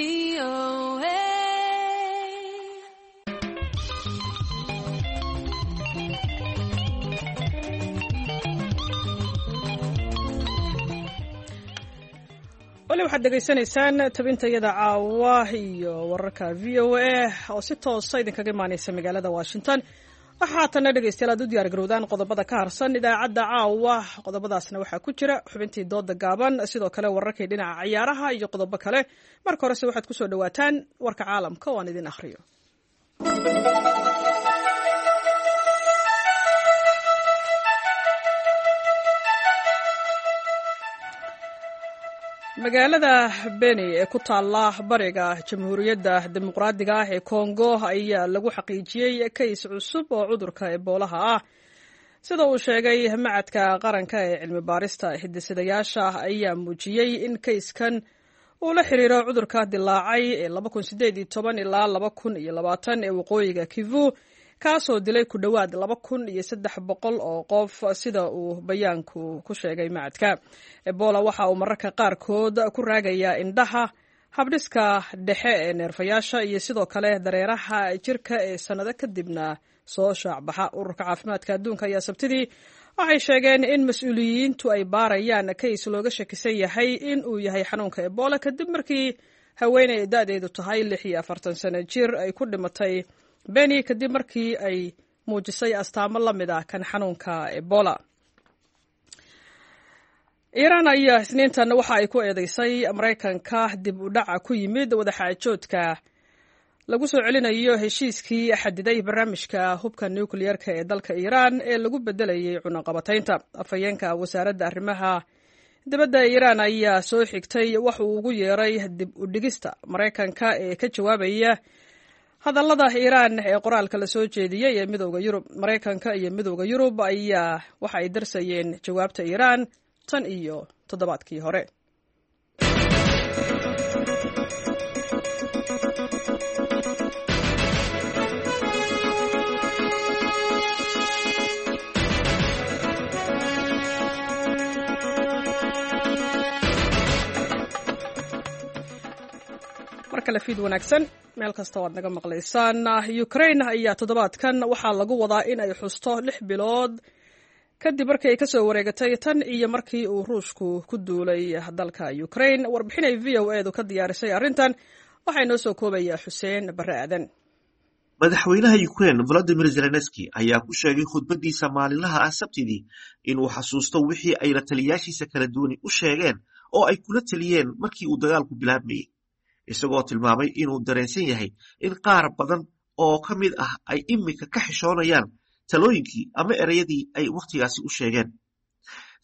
waxaad dhegaysanaysaan tabintayada caawa iyo wararka VOA oo si toosa idinkaga imaaneysa magaalada Washington. Waxaa haatanna, dhegeystayaal, aad u diyaar garowdaan qodobada ka harsan idaacadda caawa. Qodobadaasna waxaa ku jira xubintii dooda gaaban, sidoo kale wararkii dhinaca ciyaaraha iyo qodobo kale. Marka horese waxaad kusoo dhawaataan warka caalamka oo aan idin akhriyo. Magaalada Beni ee ku taalla bariga Jamhuuriyadda Dimuqraadiga ah ee Kongo ayaa lagu xaqiijiyey kays cusub oo cudurka eboolaha ah, sida uu sheegay Macadka Qaranka ee Cilmi Baarista. Hidisidayaasha ayaa muujiyey in kayskan uu la xiriiro cudurka dilaacay ee ilaa ee waqooyiga Kivu, kaasoo dilay ku dhowaad 2300 oo qof, sida uu bayaanku ku sheegay macadka. Ebola waxa uu mararka qaarkood ku raagayaa indhaha, habdhiska dhexe ee neerfayaasha iyo sidoo kale dareeraha jirka ee sannado kadibna soo shaacbaxa. Ururka Caafimaadka Adduunka ayaa Sabtidii waxay sheegeen in mas-uuliyiintu ay baarayaan kays looga shakisan yahay in uu yahay xanuunka Ebola, kadib markii haweeney da-deedu tahay 46 sano jir ay ku dhimatay Beni kadib markii ay muujisay astaamo la mid ah kan xanuunka Ebola. Iiraan ayaa Isniintan waxa ay ku eedeysay Maraykanka dib u dhaca ku yimid wadaxaajoodka lagu soo celinayo heshiiskii xadiday barnaamijka hubka nukliyeerka ee dalka Iiraan ee lagu bedelayay cunaqabataynta. Afhayeenka wasaaradda arrimaha dibadda Iiraan ayaa soo xigtay wax uu ugu yeeray dib u dhigista Maraykanka ee ka jawaabaya hadallada Iiraan ee qoraalka la soo jeediyey ee Midowda Yurub. Maraykanka iyo Midowda Yurub ayaa waxa ay darsayeen jawaabta Iiraan tan iyo toddobaadkii hore. Mar kale fiid wanaagsan meel kasta oo aad naga maqlaysaan. Ukraine ayaa toddobaadkan waxaa lagu wadaa in ay xusto 6 bilood kadib markii ay kasoo wareegatay tan iyo markii uu Ruushku ku duulay dalka Ukraine. Warbixin ay VOA-du ka diyaarisay arrintan waxaa inoo soo koobayaa Xuseen Barre Aadan. Madaxweynaha Ukraine Volodymyr Zelenski ayaa ku sheegay khudbadiisa maalinlaha ah Sabtidii inuu xasuusto wixii ay la taliyaashiisa kala duwani u sheegeen oo ay kula taliyeen markii uu dagaalku bilaabmayey, isagoo tilmaamay inuu dareensan yahay in qaar badan oo ka mid ah ay iminka ka xishoonayaan talooyinkii ama ereyadii ay wakhtigaasi u sheegeen.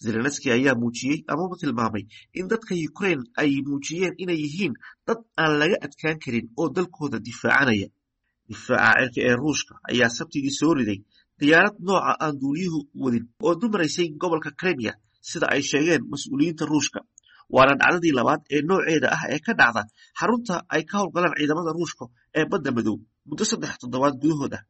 Zelenski ayaa muujiyey amaba tilmaamay in dadka Ukraine ay muujiyeen inay yihiin dad aan laga adkaan karin oo dalkooda difaacanaya. Difaaca cirka ee Ruushka ayaa Sabtigii soo riday diyaarad nooca aan duuliyuhu wadin oo dumaraysay gobolka Kremia, sida ay sheegeen mas-uuliyiinta Ruushka, waana dhacdadii labaad ee nooceeda ah ee ka dhacda xarunta ay ka howlgalaan ciidamada Ruushka ee Badda Madow muddo 3 toddobaad gudahood ah.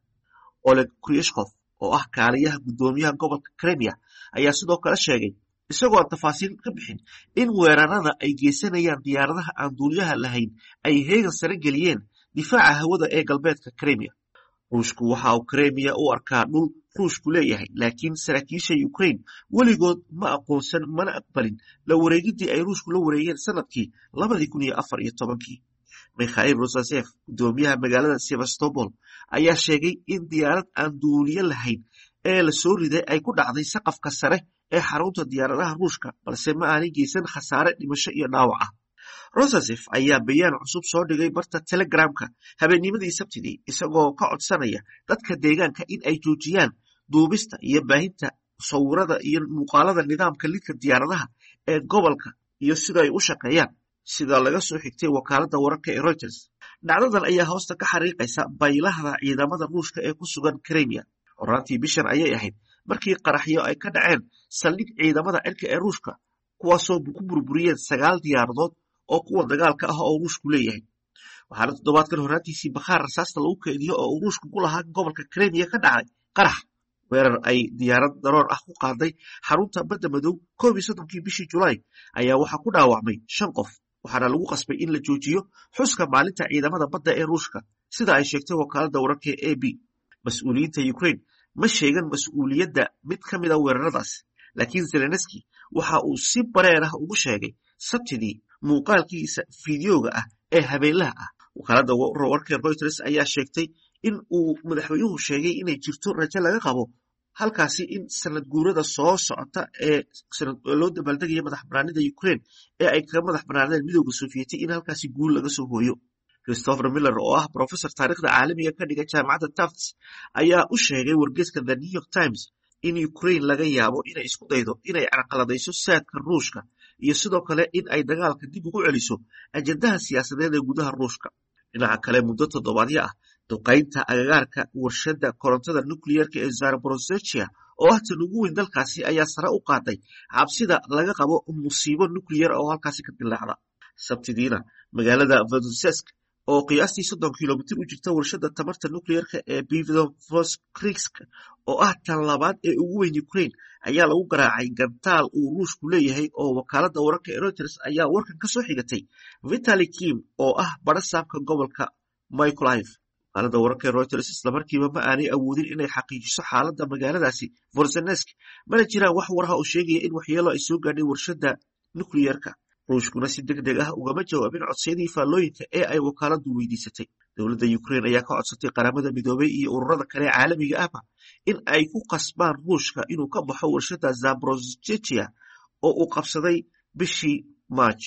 Oleg Kryushkov oo ah kaaliyaha guddoomiyaha gobolka Kremia ayaa sidoo kale sheegay, isagoo aan tafaasiil ka bixin, in weerarada ay geysanayaan diyaaradaha aan duuliyaha lahayn ay heegan sare geliyeen difaaca hawada ee galbeedka Kremia. Ruushku waxa uu Kremia u arkaa dhul Ruushku leeyahay, laakiin saraakiisha Ukraine weligood ma aqoonsan mana aqbalin la wareegidii ay Ruushku la wareegeen sanadkii 2014-kii. Mikhail Rosasef, guddoomiyaha magaalada Sevastopol, ayaa sheegay in diyaarad aan duuliye lahayn ee la soo riday ay ku dhacday saqafka sare ee xarunta diyaaradaha Ruushka, balse ma aanay geysan khasaare dhimasho iyo dhaawac ah. Rosasef ayaa bayaan cusub soo dhigay barta Telegramka habeennimadii Sabtidii, isagoo ka codsanaya dadka deegaanka in ay joojiyaan duubista iyo baahinta sawirada iyo muuqaalada nidaamka lidka diyaaradaha ee gobolka iyo sida ay u shaqeeyaan, sida laga soo xigtay wakaaladda wararka ee Reuters. Dhacdadan ayaa hoosta ka xariiqaysa baylahda ciidamada Ruushka ee ku sugan Kremia. Horaantii bishan ayay ahayd markii qaraxyo ay ka dhaceen saldhig ciidamada cirka ee Ruushka, kuwaasoo ku burburiyeen sagaal diyaaradood oo kuwa dagaalka ah oo Ruushku leeyahay. Waxaana toddobaadkan horaantiisii bakhaar rasaasta lagu keydiyo oo uu Ruushku ku lahaa gobolka Kremia ka dhacay qarax. Weerar ay diyaarad daroon ah ku qaaday xarunta Badda Madow 31-kii bishii Julaay ayaa waxaa ku dhaawacmay shan qof. Waxaana lagu qasbay in la joojiyo xuska maalinta ciidamada badda ee Ruushka, sida ay sheegtay wakaaladda wararka ee AP. Mas-uuliyiinta Ukraine ma sheegan mas-uuliyadda mid ka mid a weeraradaas, laakiin Zelenski waxa uu si bareer ah ugu sheegay Sabtidii muuqaalkiisa fiidiyooga ah ee habeenlaha ah. Wakaaladda wararka Reuters ayaa sheegtay in uu madaxweynuhu sheegay inay jirto rajo laga qabo halkaasi in sanad guurada soo socota ee loo dabaaldegaya madax banaanida Ukraine ee ay kaga madax banaaneen Midowda Sofiyeeti in halkaasi guul laga soo hooyo. Christopher Miller, oo ah professor taariikhda caalamiga ka dhiga jaamacadda Tufts, ayaa u sheegay wargeyska The New York Times in Ukraine laga yaabo inay isku daydo inay carqaladayso saadka Ruushka iyo sidoo kale in ay dagaalka dib ugu celiso ajandaha siyaasadeed ee gudaha Ruushka. Dhinaca kale, muddo toddobaadyo ah duqaynta agagaarka warshadda korontada nukliyeerka ee Zaporozhye, oo ah tan ugu weyn dalkaasi, ayaa sare u qaaday cabsida laga qabo musiibo nukliyeer oo halkaasi ka dilaacda. Sabtidiina, magaalada Voronezh, oo qiyaastii 30 kilomitir u jirta warshadda tamarta nukliyeerka ee Pivdennovoskrisk, oo ah tan labaad ee ugu weyn Ukraine, ayaa lagu garaacay gantaal uu Ruushku leeyahay, oo wakaaladda wararka ee Reuters ayaa warkan ka soo xigatay Vitali Kim, oo ah badhasaabka gobolka Mykolaiv. Wakaaladda wararka ee Reuters islamarkiiba ma aanay awoodin inay xaqiijiso xaaladda magaaladaasi Voronezh, mana jiraan wax war ah oo sheegaya in waxyeelo ay soo gaadhay warshadda nukliyeerka. Ruushkuna si deg deg ah ugama jawaabin codsiyadii faallooyinka ee ay wakaaladdu weydiisatay. Dowladda Ukraine ayaa ka codsatay Qaramada Midoobay iyo ururada kale caalamiga ahba in ay ku qasbaan Ruushka inuu ka baxo warshadda Zaporozhye oo uu qabsaday bishii March.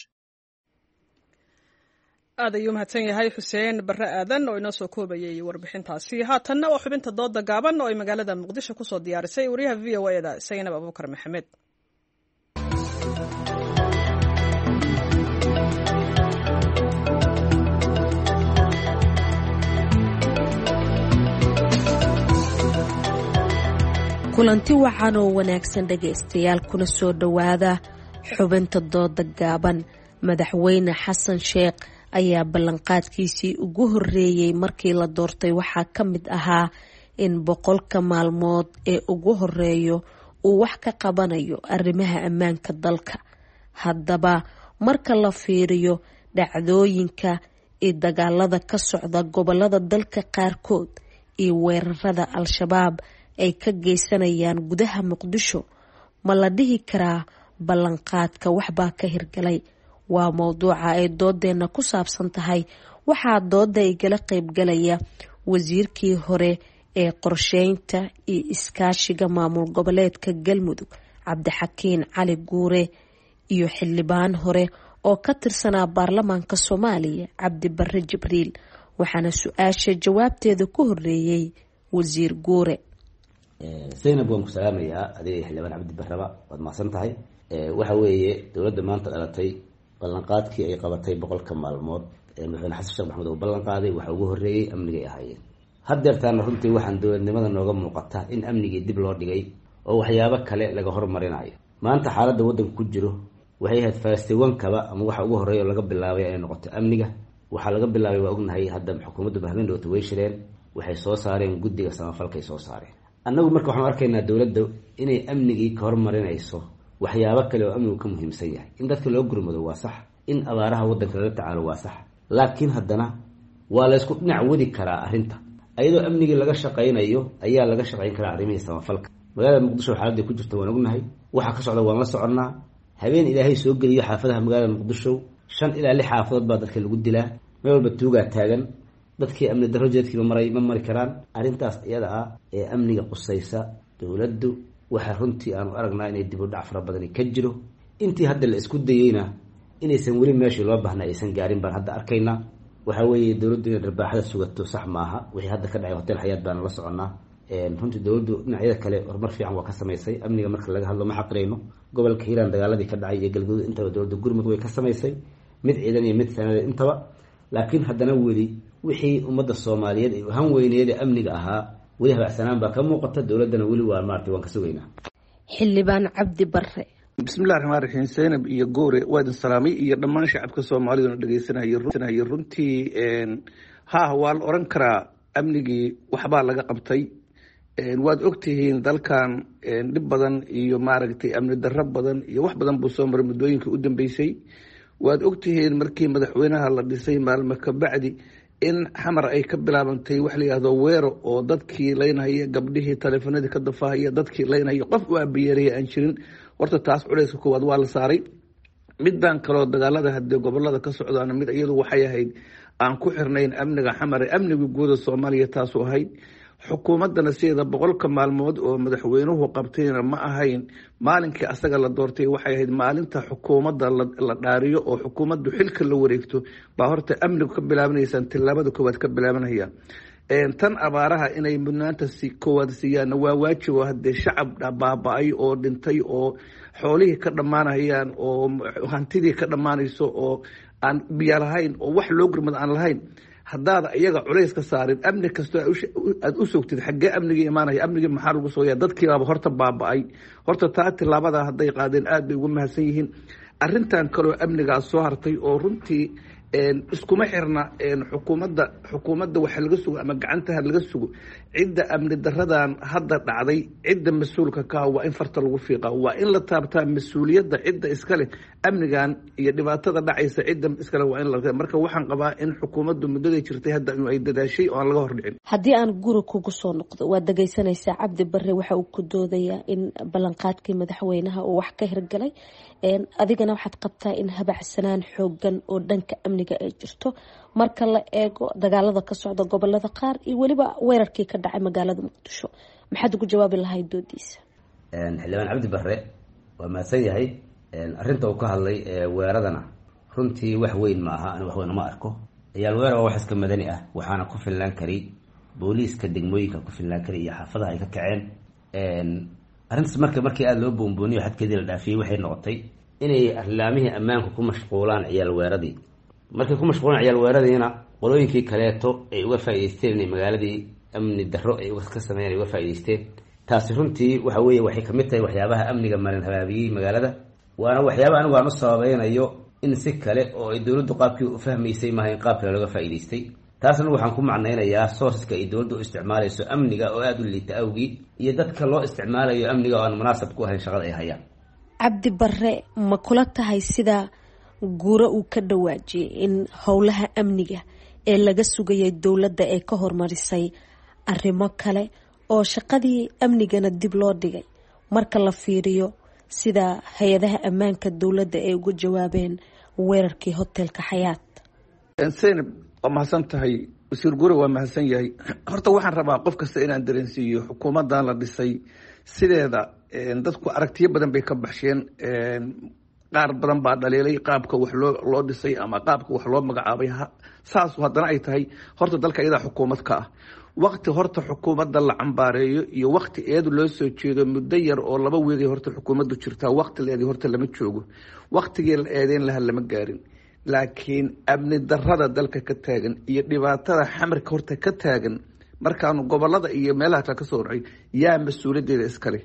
Aad ayuu mahadsan yahay Xuseen Barre Aadan oo inoo soo koobayay warbixintaasi. Haatanna waa xubinta dooda gaaban oo ay magaalada Muqdisho kusoo diyaarisay wariyaha VOA da Saynab Abuukar Maxamed. Kulanti wacan oo wanaagsan, dhegaystayaal, kuna soo dhowaada xubinta dooda gaaban. Madaxweyne Xasan Sheekh ayaa ballanqaadkiisii ugu horeeyey markii la doortay waxaa ka mid ahaa in 100-ka maalmood ee ugu horeeyo uu wax ka qabanayo arrimaha ammaanka dalka. Haddaba, marka la fiiriyo dhacdooyinka iyo dagaalada ka socda gobolada dalka qaarkood iyo weerarada Al-Shabaab ay ka geysanayaan gudaha Muqdisho, ma la dhihi karaa ballanqaadka waxbaa ka hirgalay? Waa mowduuca ay doodeena ku saabsan tahay. Waxaa dooda igala qeybgalaya wasiirkii hore ee qorsheynta iyo iskaashiga maamul goboleedka Galmudug, Cabdixakiin Cali Guure, iyo xildhibaan hore oo ka tirsanaa baarlamaanka Soomaaliya, Cabdi Barre Jibriil. Waxaana su-aasha jawaabteeda ku horeeyey wasiir Guure. Zaynab, waan ku salaamayaa adiga xildhibaan Cabdi Barraba, waad mahadsan tahay. Waxa weeye, dowladda maanta dhalatay ballanqaadkii ay qabatay 100-ka maalmood ee madaxweyne Xasan Sheekh Maxamed uu ballan qaaday waxa ugu horreeyey amnigay ahaayeen. Haddeertaana runtii waxaan dowladnimada nooga muuqata in amnigii dib loo dhigay oo waxyaabo kale laga hormarinayo. Maanta xaaladda waddanka ku jiro waxay ahayd falastiwankaba ama waxa ugu horreeya oo laga bilaabay inay noqoto amniga. Waxaa laga bilaabay waa ognahay, hadda xukuumaddu bahmeen dhowta way shireen, waxay soo saareen guddiga samafalkay soo saareen. Annagu marka waxaanu arkaynaa dowladda inay amnigii ka hormarinayso waxyaabo kale oo amnigu ka muhiimsan yahay. In dadka loo gurmado waa sax, in abaaraha waddanka lala tacaalo waa sax, laakiin haddana waa laysku dhinac wadi karaa arrinta. Ayadoo amnigii laga shaqaynayo ayaa laga shaqayn karaa arrimihii samafalka. Magaalada Muqdisho xaaladday ku jirta waan ognahay, waxa ka socda waan la soconnaa. Habeen Ilaahay soo geliyo xaafadaha magaalada Muqdisho shan ilaa lix xaafadood baa dadka lagu dilaa, meel walba tuugaa taagan, dadkii amni darro jeedkiiba maray ma mari karaan. Arrintaas iyada ah ee amniga qusaysa dowladdu waxaa runtii aanu aragnaa inay dib u dhac fara badani ka jiro. Intii hadda la isku dayeyna inaysan weli meeshii loo baahna aysan gaarin baan hadda arkaynaa. Waxaa weeye, dowladdu inay dharbaaxada sugato sax maaha. Wixii hadda ka dhacay Hotel Xayaat baanu la soconnaa. Runtii dowladdu dhinacyada kale horumar fiican waa ka samaysay. Amniga marka laga hadlo ma xaqirayno. Gobolka Hiiraan dagaaladii ka dhacay iyo Galgaduud intaba dowladda gurmud way ka samaysay, mid ciidan iyo mid sanadeed intaba, laakiin haddana weli wixii ummadda Soomaaliyeed ay uhan weyneed ee amniga ahaa weli habacsanaan baa ka muuqata dowladdana. Weli waa maarata waan ka sugaynaa. Xildhibaan Cabdi Barre. Bismillahi raxmaan raxiim. Zaynab iyo Goore, waa idin salaamay iyo dhammaan shacabka Soomaaliduna dhegeysanaya. Runtii ha, waa la oran karaa amnigii waxbaa laga qabtay. Waad ogtihiin dalkan dhib badan iyo maaragtay amni darro badan iyo wax badan buu soo maray muddooyinkii u dambeysay. Waad ogtihiin markii madaxweynaha la dhisay maalmo kabacdi in Xamar ay ka bilaabantay wax la yihahdo weero, oo dadkii laynhaya, gabdhihii taleefanadii ka dafahaya, dadkii laynhaya, qof u aabayeeraya aan jirin. Horta taas culeyska koowaad waa la saaray. Middan kaloo dagaalada hadee gobolada ka socdaana, mid iyadu waxay ahayd aan ku xirnayn amniga Xamar, amniga guuda Soomaaliya taasu ahayd. Xukuumaddana sideeda 100-ka maalmood oo madaxweynuhu qabtayna ma ahayn maalinkii asaga la doortay, waxay ahayd maalinta xukuumadda la dhaariyo oo xukuumaddu xilka la wareegto baa horta amnigu ka bilaabanaysaan, tillaabada koowaad ka bilaabanaya. Tan abaaraha inay mudnaanta si koowaad siiyaanna waa waajib, oo hadee shacab baaba-ay oo dhintay oo xoolihii ka dhammaanayaan oo hantidii ka dhammaanayso oo aan biyo lahayn oo wax loo gurmad aan lahayn, haddaada iyaga culays ka saarin, amni kastoo aada u sogtid, xaggee amnigii imaanaya? Amnigii maxaa lagu sugaya? Dadkiibaaba horta baaba-ay. Horta taa tillaabada hadday qaadeen aada bay ugu mahadsan yihiin. Arrintan kaloo amnigaas soo hartay oo runtii iskuma xirna xukuumadda. Xukuumadda waxa laga sugo ama gacantaha laga sugo, cidda amni daradan hadda dhacday, cidda mas-uulka ka ah waa in farta lagu fiiqa, waa in la taabtaa mas-uuliyadda cidda iskale amnigan iyo dhibaatada dhacaysa, cidda iskale waa in la. Marka waxaan qabaa in xukuumaddu muddaday jirtay hadda ay dadaashay oo aan laga hordhicin. Haddii aan guri kugu soo noqdo, waad dhageysanaysaa Cabdi Barre waxa uu ku doodayaa in ballanqaadkii madaxweynaha uu wax ka hirgalay, adigana waxaad qabtaa in habacsanaan xoogan oo dhanka amniga ay jirto marka la eego dagaalada ka socda gobolada qaar iyo weliba weerarkii ka dhacay magaalada Muqdisho. Maxaad ugu jawaabi lahayd doodiisa? Xildhibaan Cabdi Barre waa mahadsan yahay. Arrinta uu ka hadlay weeradana runtii wax weyn ma aha, ani wax weyn uma arko. Ciyaal weerar waa wax iska madani ah, waxaana ku filnaan kari booliiska degmooyinka ku filnaan kari iyo xaafadaha ay ka kaceen arrintaas. Marka markii aada loo boonbooniyo xadkeedii la dhaafiyey, waxay noqotay inay arlaamihii ammaanku ku mashquulaan ciyaal weeradii. Markay ku mashquulaan ciyaal weeradiina, qolooyinkii kaleeto ay uga faa'idaysteen inay magaaladii amni darro ay ka sameeyeen ay uga faa'idaysteen. Taasi runtii waxa weeye waxay kamid tahay waxyaabaha amniga malin habaabiyey magaalada, waana waxyaaba anigu aan u sababeynayo in si kale oo ay dowladdu qaabkii u fahmaysay maaha, in qaab kale looga faa'idaystay. Taas anigu waxaan ku macnaynayaa sourceska ay dowladdu u isticmaalayso amniga oo aada u liita awgii, iyo dadka loo isticmaalayo amniga oo aan munaasab ku ahayn shaqada ay hayaan. Cabdi Barre, ma kula tahay sida Guuro uu ka dhawaajiyay in howlaha amniga ee laga sugayay dowladda ee ka hormarisay arrimo kale oo shaqadii amnigana dib loo dhigay marka la fiiriyo sida hay-adaha ammaanka dowladda ay uga jawaabeen weerarkii hotelka Xayaat? Seynab, waa mahadsan tahay. Wasiir Gure waa mahadsan yahay. Horta waxaan rabaa qof kasta inaan dareensiiyo xukuumaddan la dhisay sideeda dadku aragtiyo badan bay ka baxsheen. Qaar badan baa dhaliilay qaabka wax loo dhisay ama qaabka wax loo magacaabay. Saasu haddana ay tahay, horta dalka iyadaa xukuumad ka ah. Wakti horta xukuumadda la cambaareeyo iyo wakti eedu loo soo jeedo, muddo yar oo 2 weegay horta xukuumaddu jirtaa, wakti la eeday horta lama joogo, waktigii la eedeyn laha lama gaarin. Laakiin amni darada dalka ka taagan iyo dhibaatada Xamarka horta ka taagan, markaanu gobolada iyo meelaha kale kasoo horcay, yaa mas-uuliyaddeeda iskale?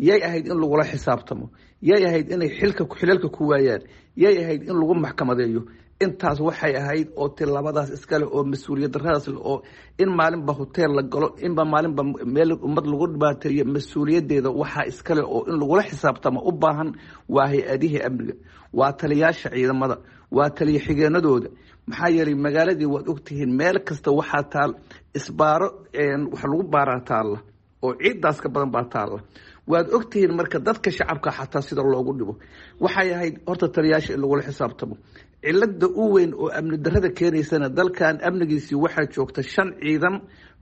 Yay ahayd in lagula xisaabtamo? Yay ahayd inay xilka xilalka ku waayaan? Yay ahayd in lagu maxkamadeeyo? Intaas waxay ahayd oo tilaabadaas iskale oo mas-uuliyad daradaas oo in maalinba hoteel la galo, inba maalinba meel ummad lagu dhibaateeyo, mas-uuliyaddeeda waxaa iskale oo in lagula xisaabtamo u baahan waa hay-adihii amniga, waa taliyaasha ciidamada, waa taliya xigeenadooda. Maxaa yeelay magaaladii waad ogtihiin, meel kasta waxaa taal isbaaro, wax lagu baaraa taalla oo ciiddaas ka badan baa taalla, waad ogtihiin. Marka dadka shacabka xataa sida loogu dhibo, waxay ahayd horta taliyaasha in lagula xisaabtamo. Cilada u weyn oo amni darada keenaysana, dalkan amnigiisii waxaa joogta shan ciidan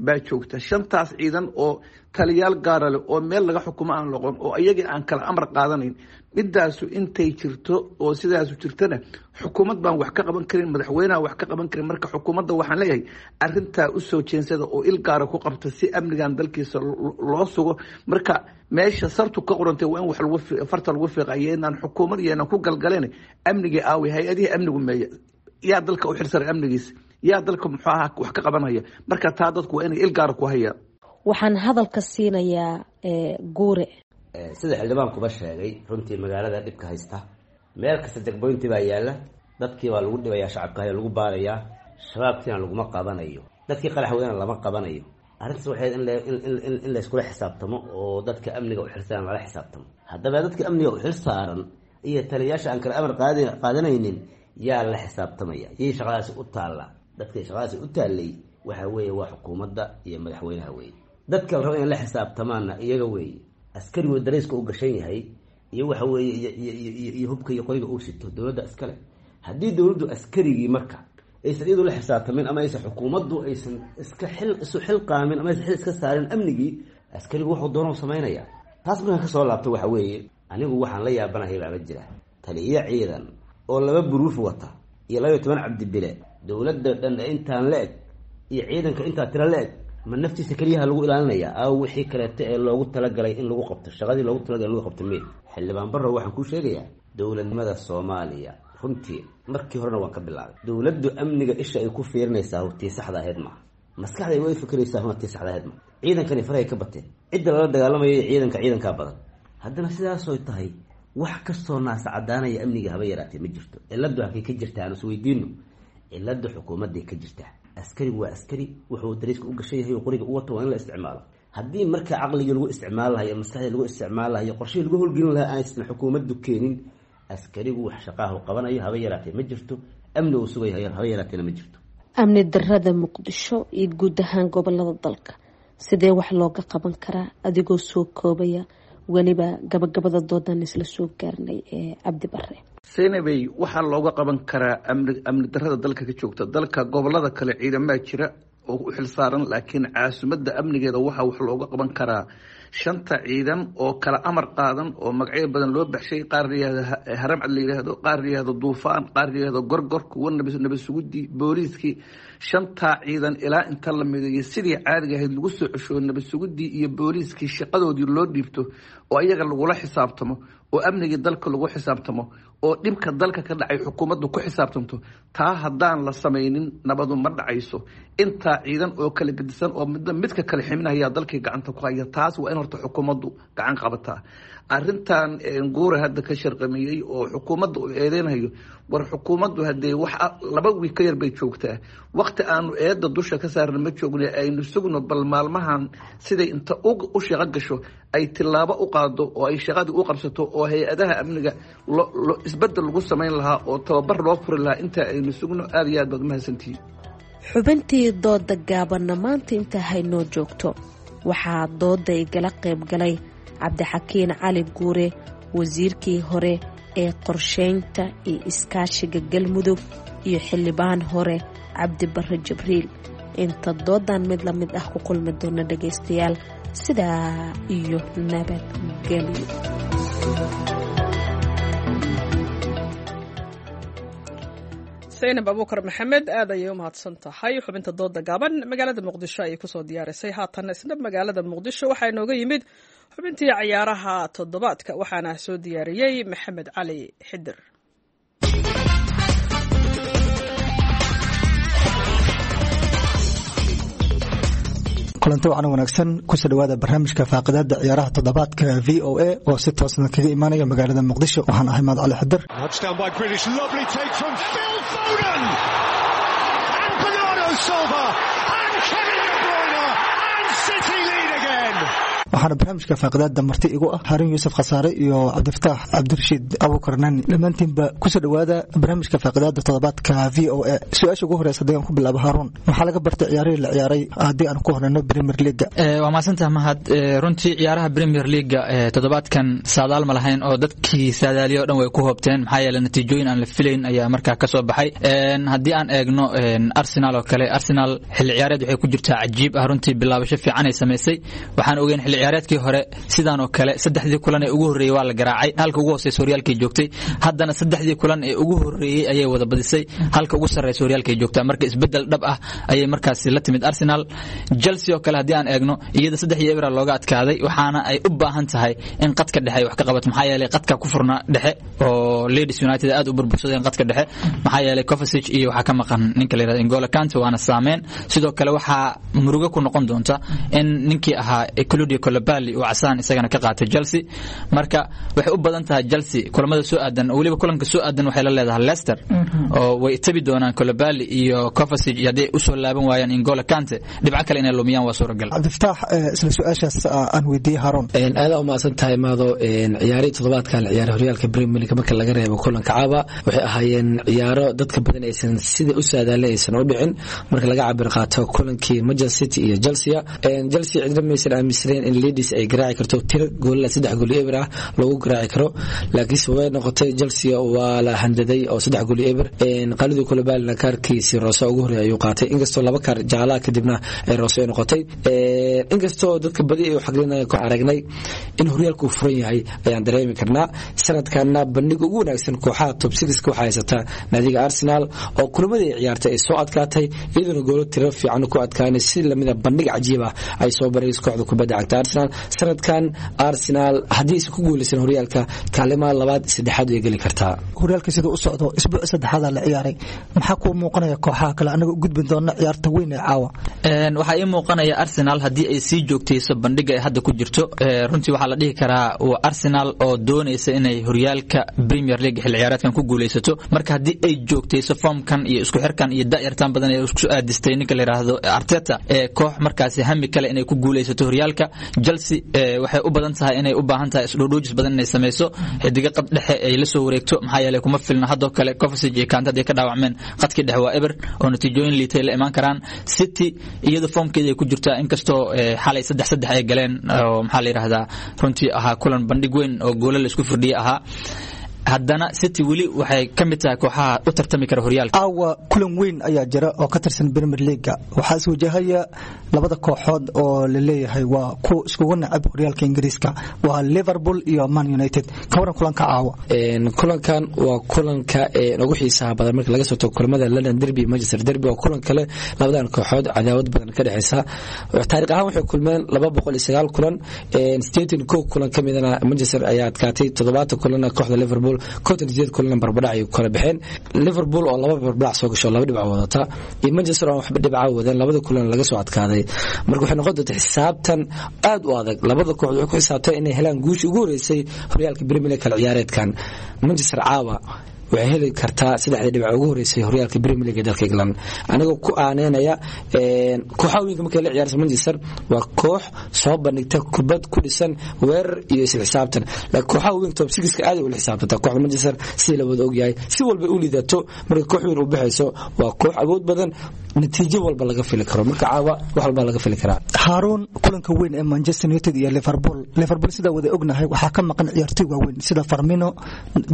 baa joogta, shantaas ciidan oo taliyaal gaara leh oo meel laga xukumo aan loqon oo iyagii aan kala amar qaadanayn. Midaasu intay jirto oo sidaasu jirtana, xukuumad baan wax ka qaban karin, madaxweyneha wax ka qaban karin. Marka xukuumadda waxaan leeyahay arintaa usoo jeensada oo il gaara ku qabta si amnigan dalkiisa loo sugo. Marka meesha sartu ka qorantay waa in wax lagu farta lagu fiiqayo, inaan xukuumad iyo inaan ku galgaleen. Amnigii aawi? Hay-adihii amnigu meeya? Yaa dalka u xilsaray amnigiisa? Yaa dalka muxuu ahaa wax ka qabanaya? Marka taa dadku waa inay il gaara ku hayaan. Waxaan hadalka siinayaa Guure. Sida xildhibaankuba sheegay, runtii magaalada dhibka haysta meel kasta degboynti baa yaalla, dadkii baa lagu dhibayaa, shacabka ayaa lagu baarayaa, shabaabkiina laguma qabanayo, dadkii qaraxweyna lama qabanayo. Arrintaas waxay in layskula xisaabtamo oo dadka amniga u xilsaaran lala xisaabtamo. Haddaba dadka amniga u xil saaran iyo taliyayaasha aan kala amar qaadanaynin Yaa la xisaabtamaya? Yay shaqadaasi u taallaa? Dadkay shaqadaasi u taallay waxa weeye waa xukuumadda iyo madaxweynaha weeye. Dadka la rabo inay la xisaabtamaanna iyaga weeye. Askarigu darayska u gashan yahay iyo waxa weeye iyo hubka iyo qoriga uu sito dowladda iskale. Haddii dowladdu askarigii marka aysan iyadu la xisaabtamin, ama aysan xukuumaddu aysan iska xil isu xilqaamin, ama aysan xil iska saarin amnigii, askarigu wuxuu doona u samaynayaa. Taas markaan kasoo laabto, waxa weeye anigu waxaan la yaabanahay baaba jira taliyo ciidan oo 2 buruuf wata iyo 12 Cabdibile. Dowladda dhan intaan la eg iyo ciidanka intaa tira la eg, ma naftiisa keliyaha lagu ilaalinaya aw wixii kaleeto ee loogu talagalay in lagu qabto, shaqadii loogu talagalay in lagu qabto meel? Xildhibaan Barrow, waxaan kuu sheegayaa dowladnimada Soomaaliya runtii markii horena waan ka bilaabay. Dowladdu amniga isha ay ku fiirinaysaa tii saxda ahayd maaha, maskaxday way fikiraysaa huna tii saxda ahayd maaha. Ciidankani farahay ka bateen, cidda lala dagaalamayo ciidanka ciidankaa badan. Haddana sidaasoy tahay, wax kastoo naasa caddaanaya amniga haba yaraatee ma jirto. Cilladdu halkay ka jirtaa aan isweydiino. Cilladda xukuumadday ka jirtaa. Askarigu waa askari, wuxuu dariiska u gashan yahay oo qoriga u wato waa in la isticmaalo. Haddii marka caqligii lagu isticmaal lahayo, maskaxdii lagu isticmaal lahayo, qorshihii lagu howlgelin lahaa aysan xukuumaddu keenin, askarigu wax shaqaahu qabanayo haba yaraatee ma jirto, amni uu sugayo haba yaraateena ma jirto. Amni darada Muqdisho iyo guud ahaan gobolada dalka sidee wax looga qaban karaa, adigoo soo koobaya, weliba gabagabada doodan isla soo gaarnay ee Cabdi Bare? Seynabey, waxaa looga qaban karaa amni darada dalka ka joogta, dalka gobolada kale ciidamaa jira oo u xilsaaran, laakiin caasimadda amnigeeda waxaa wax looga qaban karaa shanta ciidan oo kala amar qaadan oo magacyo badan loo baxshay. Qaar la yihahdo Haramcad la yihahdo, qaar la yihahdo Duufaan, qaar la yihahdo Gorgor, kuwa nabad sugidii, booliiskii. Shantaa ciidan ilaa inta la mideeyo sidii caadiga ahayd lagu soo cesho, nabad sugidii iyo booliiskii shaqadoodii loo dhiibto oo iyaga lagula xisaabtamo oo amnigii dalka lagu xisaabtamo oo dhibka dalka ka dhacay xukuumaddu ku xisaabtanto, taa haddaan la samaynin nabadu ma dhacayso. Intaa ciidan oo kala gedisan oo midna midka kale ximinaya dalkii gacanta ku haya, taas waa in horta xukuumaddu gacan qabataa. Arrintan Guura hadda ka sharqamiyey oo xukuumadda uu eedeynayo, war xukuumaddu haddee wax 2 wiig ka yar bay joogtaa. Waqti aanu eedda dusha ka saarna ma joogna. Aynu sugno bal maalmahan siday inta u shaqo gasho ay tillaabo u qaado oo ay shaqadii u qabsato oo hay-adaha amniga isbedel lagu samayn lahaa oo tababar loo furi lahaa. Inta aynu sugno. Aada iyo aad baad umahadsantihiin. Xubintii dooda gaabanna maanta intaa haynoo joogto. Waxaa dooda igala qayb galay Cabdixakiin Cali Guure, wasiirkii hore ee qorsheynta iyo iskaashiga Galmudug, iyo xildhibaan hore Cabdibare Jibriil. Inta doodan mid la mid ah ku kulmi doona, dhagaystayaal, sidaa iyo nabadgelyo. Saynab Abuukar Maxamed aad ayay u mahadsan tahay. Xubinta dooda gaaban magaalada Muqdisho ayay kusoo diyaarisay. Haatan isna magaalada Muqdisho waxaa inooga yimid xubintii cayaaraha toddobaadka, waxaana soo diyaariyey Maxamed Cali Xidir. Kulanti wacan wanaagsan, kusoo dhawaada barnaamijka faaqidaada ciyaaraha toddobaadka VOA oo si toosna kaga imaanaya magaalada Muqdisho. Waxaan ahay Mahad Cali Xidir. Touchdown by Grealish. Lovely take from Phil Foden. And Bernardo Silva. And Kevin De Bruyne. And City lead again. Waxaana barnaamijka faaqidaada marti igu ah Haarun Yuusuf Khasaare iyo Cabdifataax Cabdirashiid Abuukar Nani. Dhammaantiinba kusoo dhawaada barnaamijka faaqidaada toddobaadka VOA. Su-aasha ugu horeysa haddii aan ku bilaabo Haarun, maxaa laga bartay ciyaarihii la ciyaaray haddii aan ku horeyno Premier League? Waa mahadsantaha, Mahad. Runtii ciyaaraha Premier Leaguega toddobaadkan saadaal ma lahayn oo dadkii saadaaliya o dhan way ku hoobteen, maxaa yeele natiijooyin aan la filayn ayaa markaa kasoo baxay. Haddii aan eegno Arsenal oo kale, Arsenal xilli ciyaareed waxay ku jirtaa cajiib ah. Runtii bilaabasho fiican ay samaysay. Waxaan ogeyn xilli ciyaareedkii hore sidaan oo kale saddexdii kulan ee ugu horreeyey waa la garaacay, halka ugu hooseysa horyaalkay joogtay. Haddana saddexdii kulan ee ugu horreeyey ayay wada badisay, halka ugu sarreysa horyaalkay joogtaa. Marka isbeddel dhab ah ayay markaasi la timid Arsenal. Chelsea oo kale haddii aan eegno, iyada 3-0 looga adkaaday, waxaana ay u baahan tahay in qadka dhexe ay wax ka qabato, maxaa yeelay qadka ku furnaa dhexe oo Leeds United aad u burbursadeen qadka dhexe, maxaa yeelay Kovacic iyo waxaa ka maqan ninka la yirahdo N'Golo Kante, waana saameyn. Sidoo kale waxaa murugo ku noqon doonta in ninkii ahaa Claudio Koulibaly uu casaan isagana ka qaatay Chelsea. Marka waxay u badan tahay Chelsea kulamada soo aadan, weliba kulanka soo aadan waxay la leedahay Leicester oo way tabi doonaan Koulibaly iyo Kovacic, iyo hadday usoo laaban waayaan N'Golo Kante dhibco kale inay lumiyaan waa suuragal. Cabdifataax, isla su-aashaas aan weydiiyey Haroon. Aada umahadsan tahay Maado. Ciyaarihii toddobaadkan la ciyaaray horyaalka Premier League marka laga reebo kulanka caawa waxay ahaayeen ciyaaro dadka badan aysan sida u saadaalin aysan u dhicin. Marka laga cabir qaato kulankii Manchester City iyo Chelsea, Chelsea cidna maysan aaminsaneyn in Leeds ay garaaci karto tiro goolala 3-0 ah lagu garaaci karo, laakiinse way noqotay. Chelsea waa la handaday oo 3-0. Qalidii Koulibaly kaarkiisii Roose ugu horeeyay ayuu qaatay, inkastoo laba kaar jaalaha kadibna ay Roose ay noqotay. Inkastoo dadka badi ay u xaglinayaan ku aragnay in horyaalku uu furan yahay ayaan dareemi karnaa. Sanadkanna bandhiga ugu wanaagsan kooxaha top 6 waxaa haysata naadiga Arsenal oo kulamadii ay ciyaartay ay soo adkaatay, iyaduna goolo tiro fiican ku adkaanay si lamida bandhig cajiib ah ay soo barayso kooxda kubadda cagta Arsenal. Sanadkan Arsenal haddii aysan ku guuleysan horyaalka kaalimaha labaad saddexaad way geli kartaa. Horyaalka siduu u socdo isbuuc saddexaad la ciyaaray, maxaa kuu muuqanaya kooxaha kale anaga u gudbin doona ciyaarta weyn ee caawa? Waxaa ii muuqanaya Arsenal haddii ay sii joogtayso bandhiga ay hadda ku jirto, runtii waxaa la dhihi karaa waa Arsenal oo doonaysa inay horyaalka Premier League xilli ciyaareedkan ku guuleysato. Marka haddii ay joogtayso formkan iyo isku xirkan iyo da'yartan badan ee isku aadistay ninka la yiraahdo Arteta, koox markaasi hami kale inay ku guuleysato horyaalka. Chelsea waxay u badan tahay inay u baahan tahay isdhoodhoojis badan inay sameyso, xidiga qad dhexe ay la soo wareegto, maxaa yeelay kuma filna haddoo kale Kovacic iyo Kante hadday ka dhaawacmeen qadkii dhexe waa eber oo natiijooyin liitay la imaan karaan. City iyada formkeeda ay ku jirtaa, inkastoo xalay 3-3 ay galeen oo maxaa la yiraahdaa runtii ahaa kulan bandhig weyn oo goolo la isku firdhiyay ahaa, haddana City weli waxay ka mid tahay kooxaha u tartami kara horyaalka. Caawa kulan weyn ayaa jira oo ka tirsan Premier League-ga. Waxaa is wajahaya labada kooxood oo la leeyahay waa kuwa iskugu nacab horyaalka Ingiriiska, waa Liverpool iyo Man United. Ka waran kulanka caawa? Kulankan waa kulanka ugu xiisaha badan marka laga soo tago kulamada London Derby iyo Manchester Derby. Waa kulan kale labadan kooxood cadaawad badan ka dhexeysa. Taariikh ahaan waxay kulmeen 209 kulan, 81 kulan ka midana Manchester ayaa adkaatay, 70 kulanna kooxda Liverpool, 58 kulanna barbadhac ay kala baxeen. Liverpool oo laba barbadhac soo gasho laba dhibco wadata iyo Manchester oo waxba dhibco wadan labada kulan laga soo adkaaday. Marka waxay noqon doontaa xisaabtan aad u adag. Labada kooxood waxay ku xisaabteen inay helaan guushii ugu horeysay horyaalka Premier League kala ciyaareedkan. Manchester caawa waxay heli kartaa saddexda dhibco ugu horeysay horyaalka Premier League ee dalka England, anigoo ku aaneynaya kooxaha weynka markay la ciyaarsa Manchester waa koox soo bandhigta kubad ku dhisan weerar iyo isla xisaabtan, laakiin kooxaha weynka top 6 aad ay ula xisaabtantaa kooxda Manchester sida la wada ogyahay. Si walba u liidato marka koox weyn u baxayso waa koox awood badan, natiijo walba laga fili karo. Marka caawa wax walba laga fili karaa. Haroon, kulanka weyn ee Manchester United iyo Liverpool, Liverpool sida wada ognahay waxaa ka maqan ciyaartoy waaweyn sida Firmino,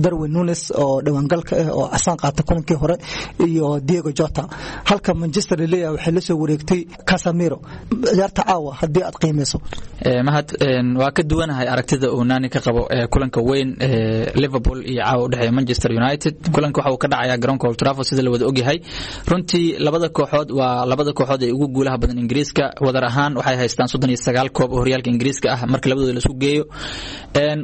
Darwin Nunes oo dhawaangalka ah oo casaan qaata kulankii hore iyo Diego Jota, halka Manchester leeyahay waxay la soo wareegtay Casemiro. Ciyaarta caawa haddii aad qiimeyso? Mahad, waa ka duwanahay aragtida uu Nani ka qabo kulanka weyn ee Liverpool iyo caawa u dhexeeya Manchester United. Kulanka waxa uu ka dhacayaa garoonka Old Trafford sida la wada ogyahay. Runtii labada kooxood waa labada kooxood ee ugu guulaha badan Ingiriiska. Wadar ahaan waxay haystaan 39 koob oo horyaalka Ingiriiska ah marka labadooda la isku geeyo.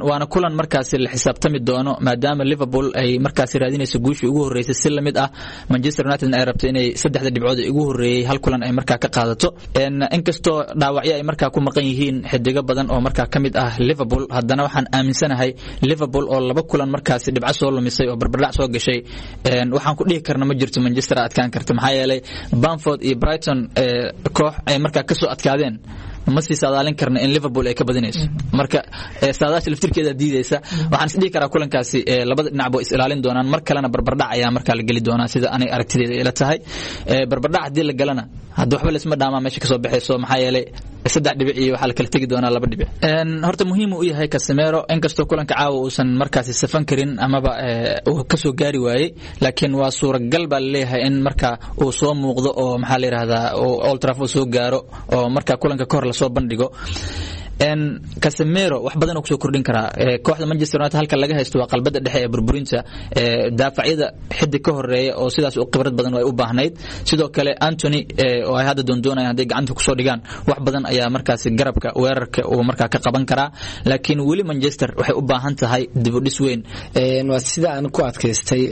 Waana kulan markaasi la xisaabtami doono maadaama Liverpool ay markaasi raadinayso guushii ugu horeysay, si lamid ah Manchester United ay rabto inay saddexda dhibcood ee ugu horeeyay hal kulan ay markaa ka qaadato. Inkastoo dhaawacyo ay markaa ku maqan yihiin xidigo badan oo markaa ka mid ah Liverpool, haddana waxaan aaminsanahay Liverpool oo laba kulan markaasi dhibco soo lumisay oo barbardhac soo gashay, waxaan ku dhihi karna ma jirto Manchester adkaan karta, maxaa yeelay Bamford iyo Brighton koox ay markaa ka soo adkaadeen ma sii saadaalin karna in Liverpool ay ka badinayso. Marka saadaasha laftirkeeda diidaysa. Waxaan is dhihi karaa kulankaasi labada dhinac bay is ilaalin doonaan, mar kalena barbardhac ayaa markaa la geli doonaa sida anay aragtideeda ila tahay. Barbardhac haddii la galana hadda waxba laisma dhaamaa meesha kasoo baxayso, maxaa yeelay 3 dhibic iyo waxaa la kala tegi doonaa 2 dhibic. Horta muhiim uu yahay Casemiro, inkastoo kulanka caawa uusan markaasi safan karin amaba uu kasoo gaari waayey, laakiin waa suuragal baa laleeyahay in marka uu soo muuqdo oo maxaa la yidhahdaa uu Old Trafford soo gaaro oo marka kulanka kahor lasoo bandhigo. Casemiro wax badan uu kusoo kordhin karaa kooxda Manchester United. Halka laga haysto waa qalbada dhexe ee burburinta, daafacyada xidig ka horeeya oo sidaas u khibrad badan ay u baahnayd. Sidoo kale Antony oo ay hadda doondoonayaan hadday gacanta kusoo dhigaan wax badan ayaa markaasi garabka weerarka uu markaa ka qaban karaa, laakiin weli Manchester waxay u baahan tahay dib u dhis weyn. Waa sida aan ku adkaystay,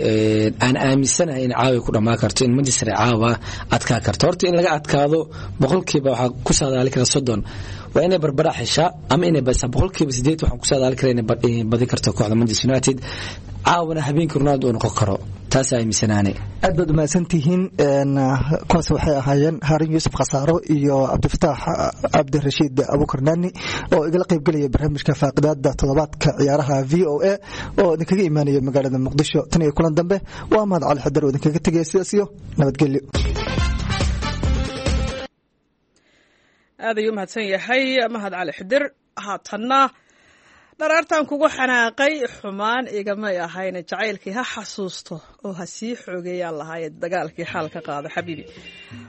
aan aaminsanahay in caawa ku dhammaan karto, in Manchester caawa adkaa karto. Horta in laga adkaado boqolkiiba waxaa ku saadaali kara 30. Waa inay barbara xeshaa ama inay badisaa. 80% waxaan ku saadaali karaa inay badin karto kooxda Manchester United. Caawana habeenkii Ronaldo uu noqon karo, taas aaminsanaane. Aad baad umahadsantihiin. Kuwaas waxay ahaayeen Haarun Yuusuf Khasaaro iyo Cabdifataax Cabdirashiid Abuukar Naani oo igala qaybgelaya barnaamijka faaqidaada toddobaadka ciyaaraha VOA oo idinkaga imaanaya magaalada Muqdisho. Tan iyo kulan dambe, waa Mahad Cali Xadar oo idinkaga tegaya sidaas iyo nabadgelyo. Aad ayuu umahadsan yahay Mahad Cali Xidir. Haatanna dharaartan kugu xanaaqay xumaan igamay ahayne, jacaylkii ha xasuusto oo ha sii xoogeeyaan lahaaye dagaalkii xaal ka qaado xabiibi.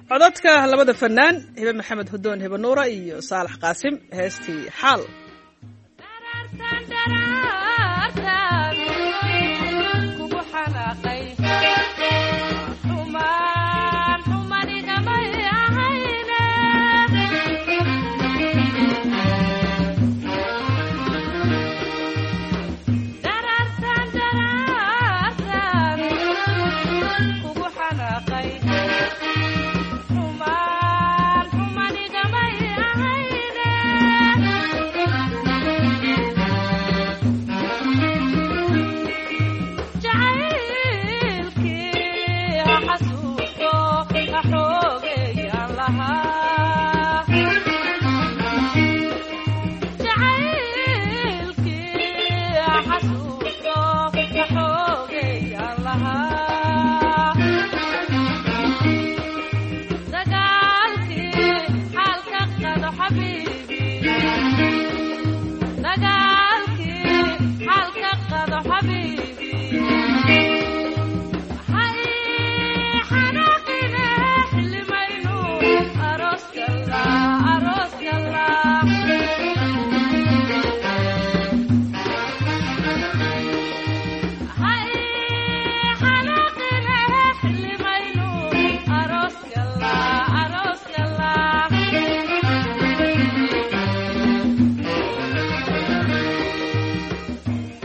Codadka labada fanaan Hibe Maxamed Hudoon, Hibe Nuura, iyo Saalax Qaasim, heestii Xaal.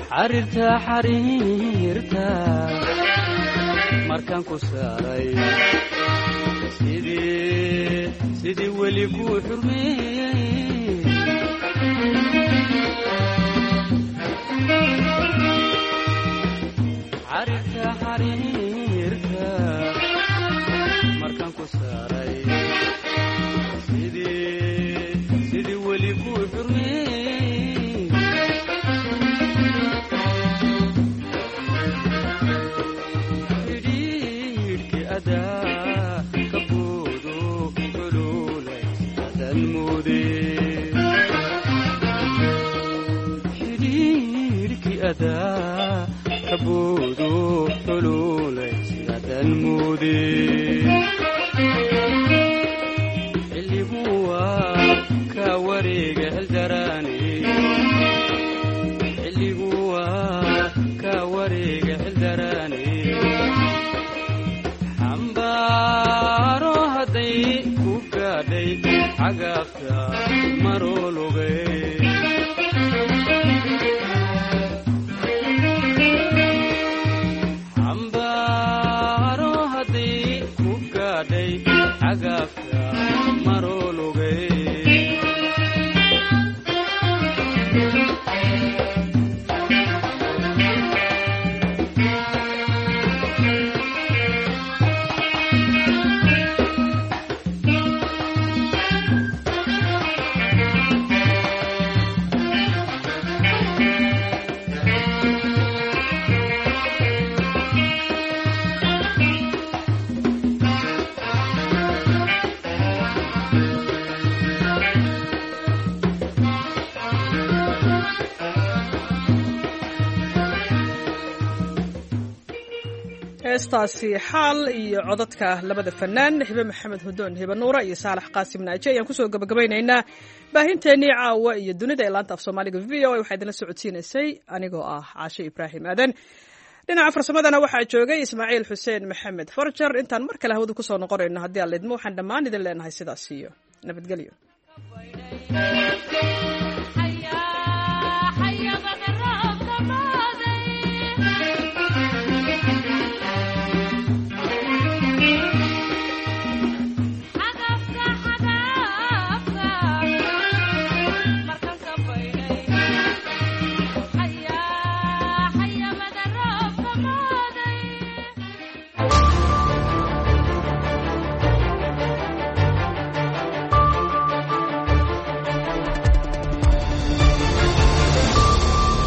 Xariirta xariirta markaan ku saaray, sidii weli kuu xurmeeyey. Xariirta xariirta markaan ku saaray, sidii weli kuu xurmeeyey. Xidhiidhki adaa ka boodo xuluulay adan moode, xidhiidhki adaa ka boodo xuluulay sidadan moode. Xilligu waa ka wareega xildaraane, xilligu waa ka wareega xildaraane. Xambaaro hadday ku gaadhay cagaafta maroologay. Xambaaro hadday ku gaadhay cagaafta maroologay. Heestaasi Xaal iyo codadka labada fanaan Hibe Maxamed Hudoon, Hibe Nuura, iyo Saalax Qaasim Naaji ayaan kusoo gabagabaynaynaa baahinteennii caawa iyo dunida ee laanta af Soomaaliga VOA. Waxaa idinla socodsiinaysay anigoo ah Caashe Ibraahim Aadan. Dhinaca farsamadana waxaa joogay Ismaaciil Xuseen Maxamed Farjar. Intaan mar kale hawada kusoo noqonayno haddii aan lidmo, waxaan dhammaan idin leenahay sidaas iyo nabadgelyo.